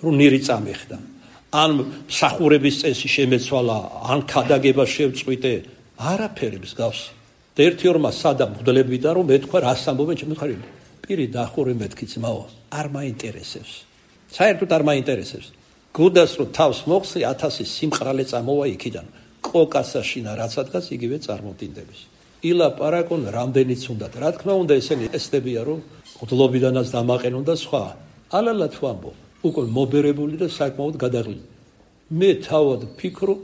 რომ ნირი წამეხდა. ან მსახურების წესი შემეცვალა, ან ქადაგება შევწყვიტე, არაფერი მსგავსი. და ერთი ორმა სადა მღვდლებიდან რომ მეთქვა, რას ამბობენ ჩემი ხარი. პირი დახურე მეთქი ძმაო, არ მაინტერესებს. საერთოდ არ მაინტერესებს. გუდას რომ თავს მოხსი, ათასი სიმყრალე წამოვა იქიდან. კოკასაშინა რაც ადგას იგივე წარმომდინდების. ილაპარაკონ რამდენიც უნდათ. რა თქმა უნდა, ესენი ესდებია, რომ ღლობიდანაც დამაყენონ და სხვა. ალალათ ვამბობ, უკვე მობერებული და საკმაოდ გადაღლილი. მე თავად ფიქრობ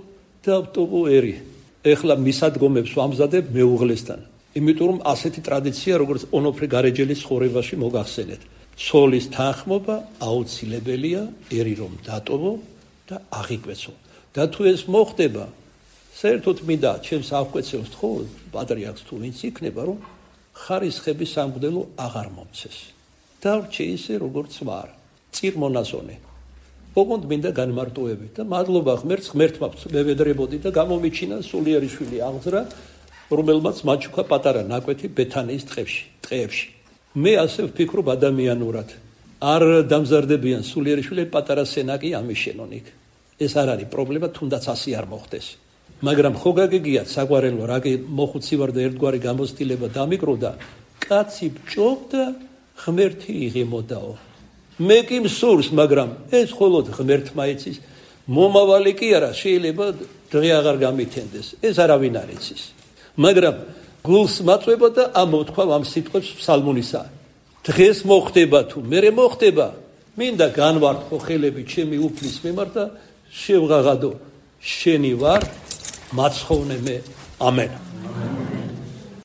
დავტოვო ერი. ეხლა მისადგომებს ვამზადებ მეუღლესთან. იმიტომ რომ ასეთი ტრადიცია, როგორც ონოფრე გარეჯელის ცხოვრებაში მოგახსენეთ. ცოლის თანხმობა აუცილებელია, ერი რომ დატოვო და აღიკვეცო. და თუ ეს მოხდება, საერთოდ მინდა ჩემს აღკვეცევს თქო, პატრიარქს თუ ვინც იქნება, რომ ხარისხების სამღვდელო აღარ მომცეს. დავრჩე ისე, როგორც ვარ, წირმონაზონე. ოღონდ მინდა განმარტოებით და მადლობა ღმერთს, ღმერთმა მევედრებოდი და გამომიჩინა სულიერი შვილი აღზრა, რომელმაც მაჩუქა პატარა ნაკვეთი ბეთანიის ტყებში, ტყეებში. მე ასე ვფიქრობ ადამიანურად. არ დამზარდებიან სულიერი შვილები, პატარა სენაკი ამიშენონ იქ. ეს არ არის პრობლემა, თუნდაც ასე არ მოხდეს. მაგრამ ხო გაგიგიათ საგვარელო, რა კი მოხუცი ვარ და ერთგვარი გამოცდილება დამიკროდა, კაცი ბჭობდა, ღმერთი იღიმოდაო. მე კი მსურს, მაგრამ ეს მხოლოდ ღმერთმა იცის. მომავალი კი არა, შეიძლება დღე აღარ გამითენდეს. ეს არავინ არ იცის. მაგრამ გულს მაწვება და ამოვთქვა ამ სიტყვებს ფსალმუნისა. დღეს მოხდება თუ მერე მოხდება, მინდა განვარტყო ხელები ჩემი უფლის მიმართ და შევღაღადო, შენი ვარ, მაცხოვნე მე. ამენ.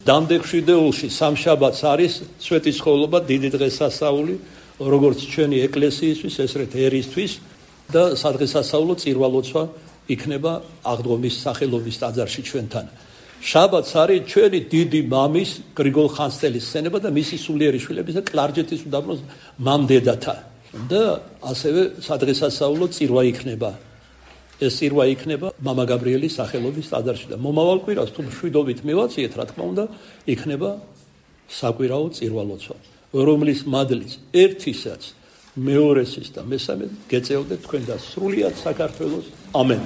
დამდეგ შვიდეულში სამშაბათს არის სვეტიცხოვლობა, დიდი დღესასწაული, როგორც ჩვენი ეკლესიისთვის, ესრეთ ერისთვის და სადღესასწაულო წირვალოცვა იქნება აღდგომის სახელობის ტაძარში ჩვენთან. შაბათს არის ჩვენი დიდი მამის გრიგოლ ხანძთელის სცენება და მისი სულიერი შვილების და კლარჯეთის უდაბნოს მამდედათა და ასევე სადღესასწაულო წირვა იქნება. ეს წირვა იქნება მამა გაბრიელის სახელობის ტაძარში და მომავალ კვირას თუ მშვიდობით მივაციეთ, რა თქმა უნდა, იქნება საკვირაო წირვალოცვა, რომლის მადლის ერთისაც, მეორესის და მესამეს გეწეოდეთ თქვენ და სრულიად საქართველოს. ამენ.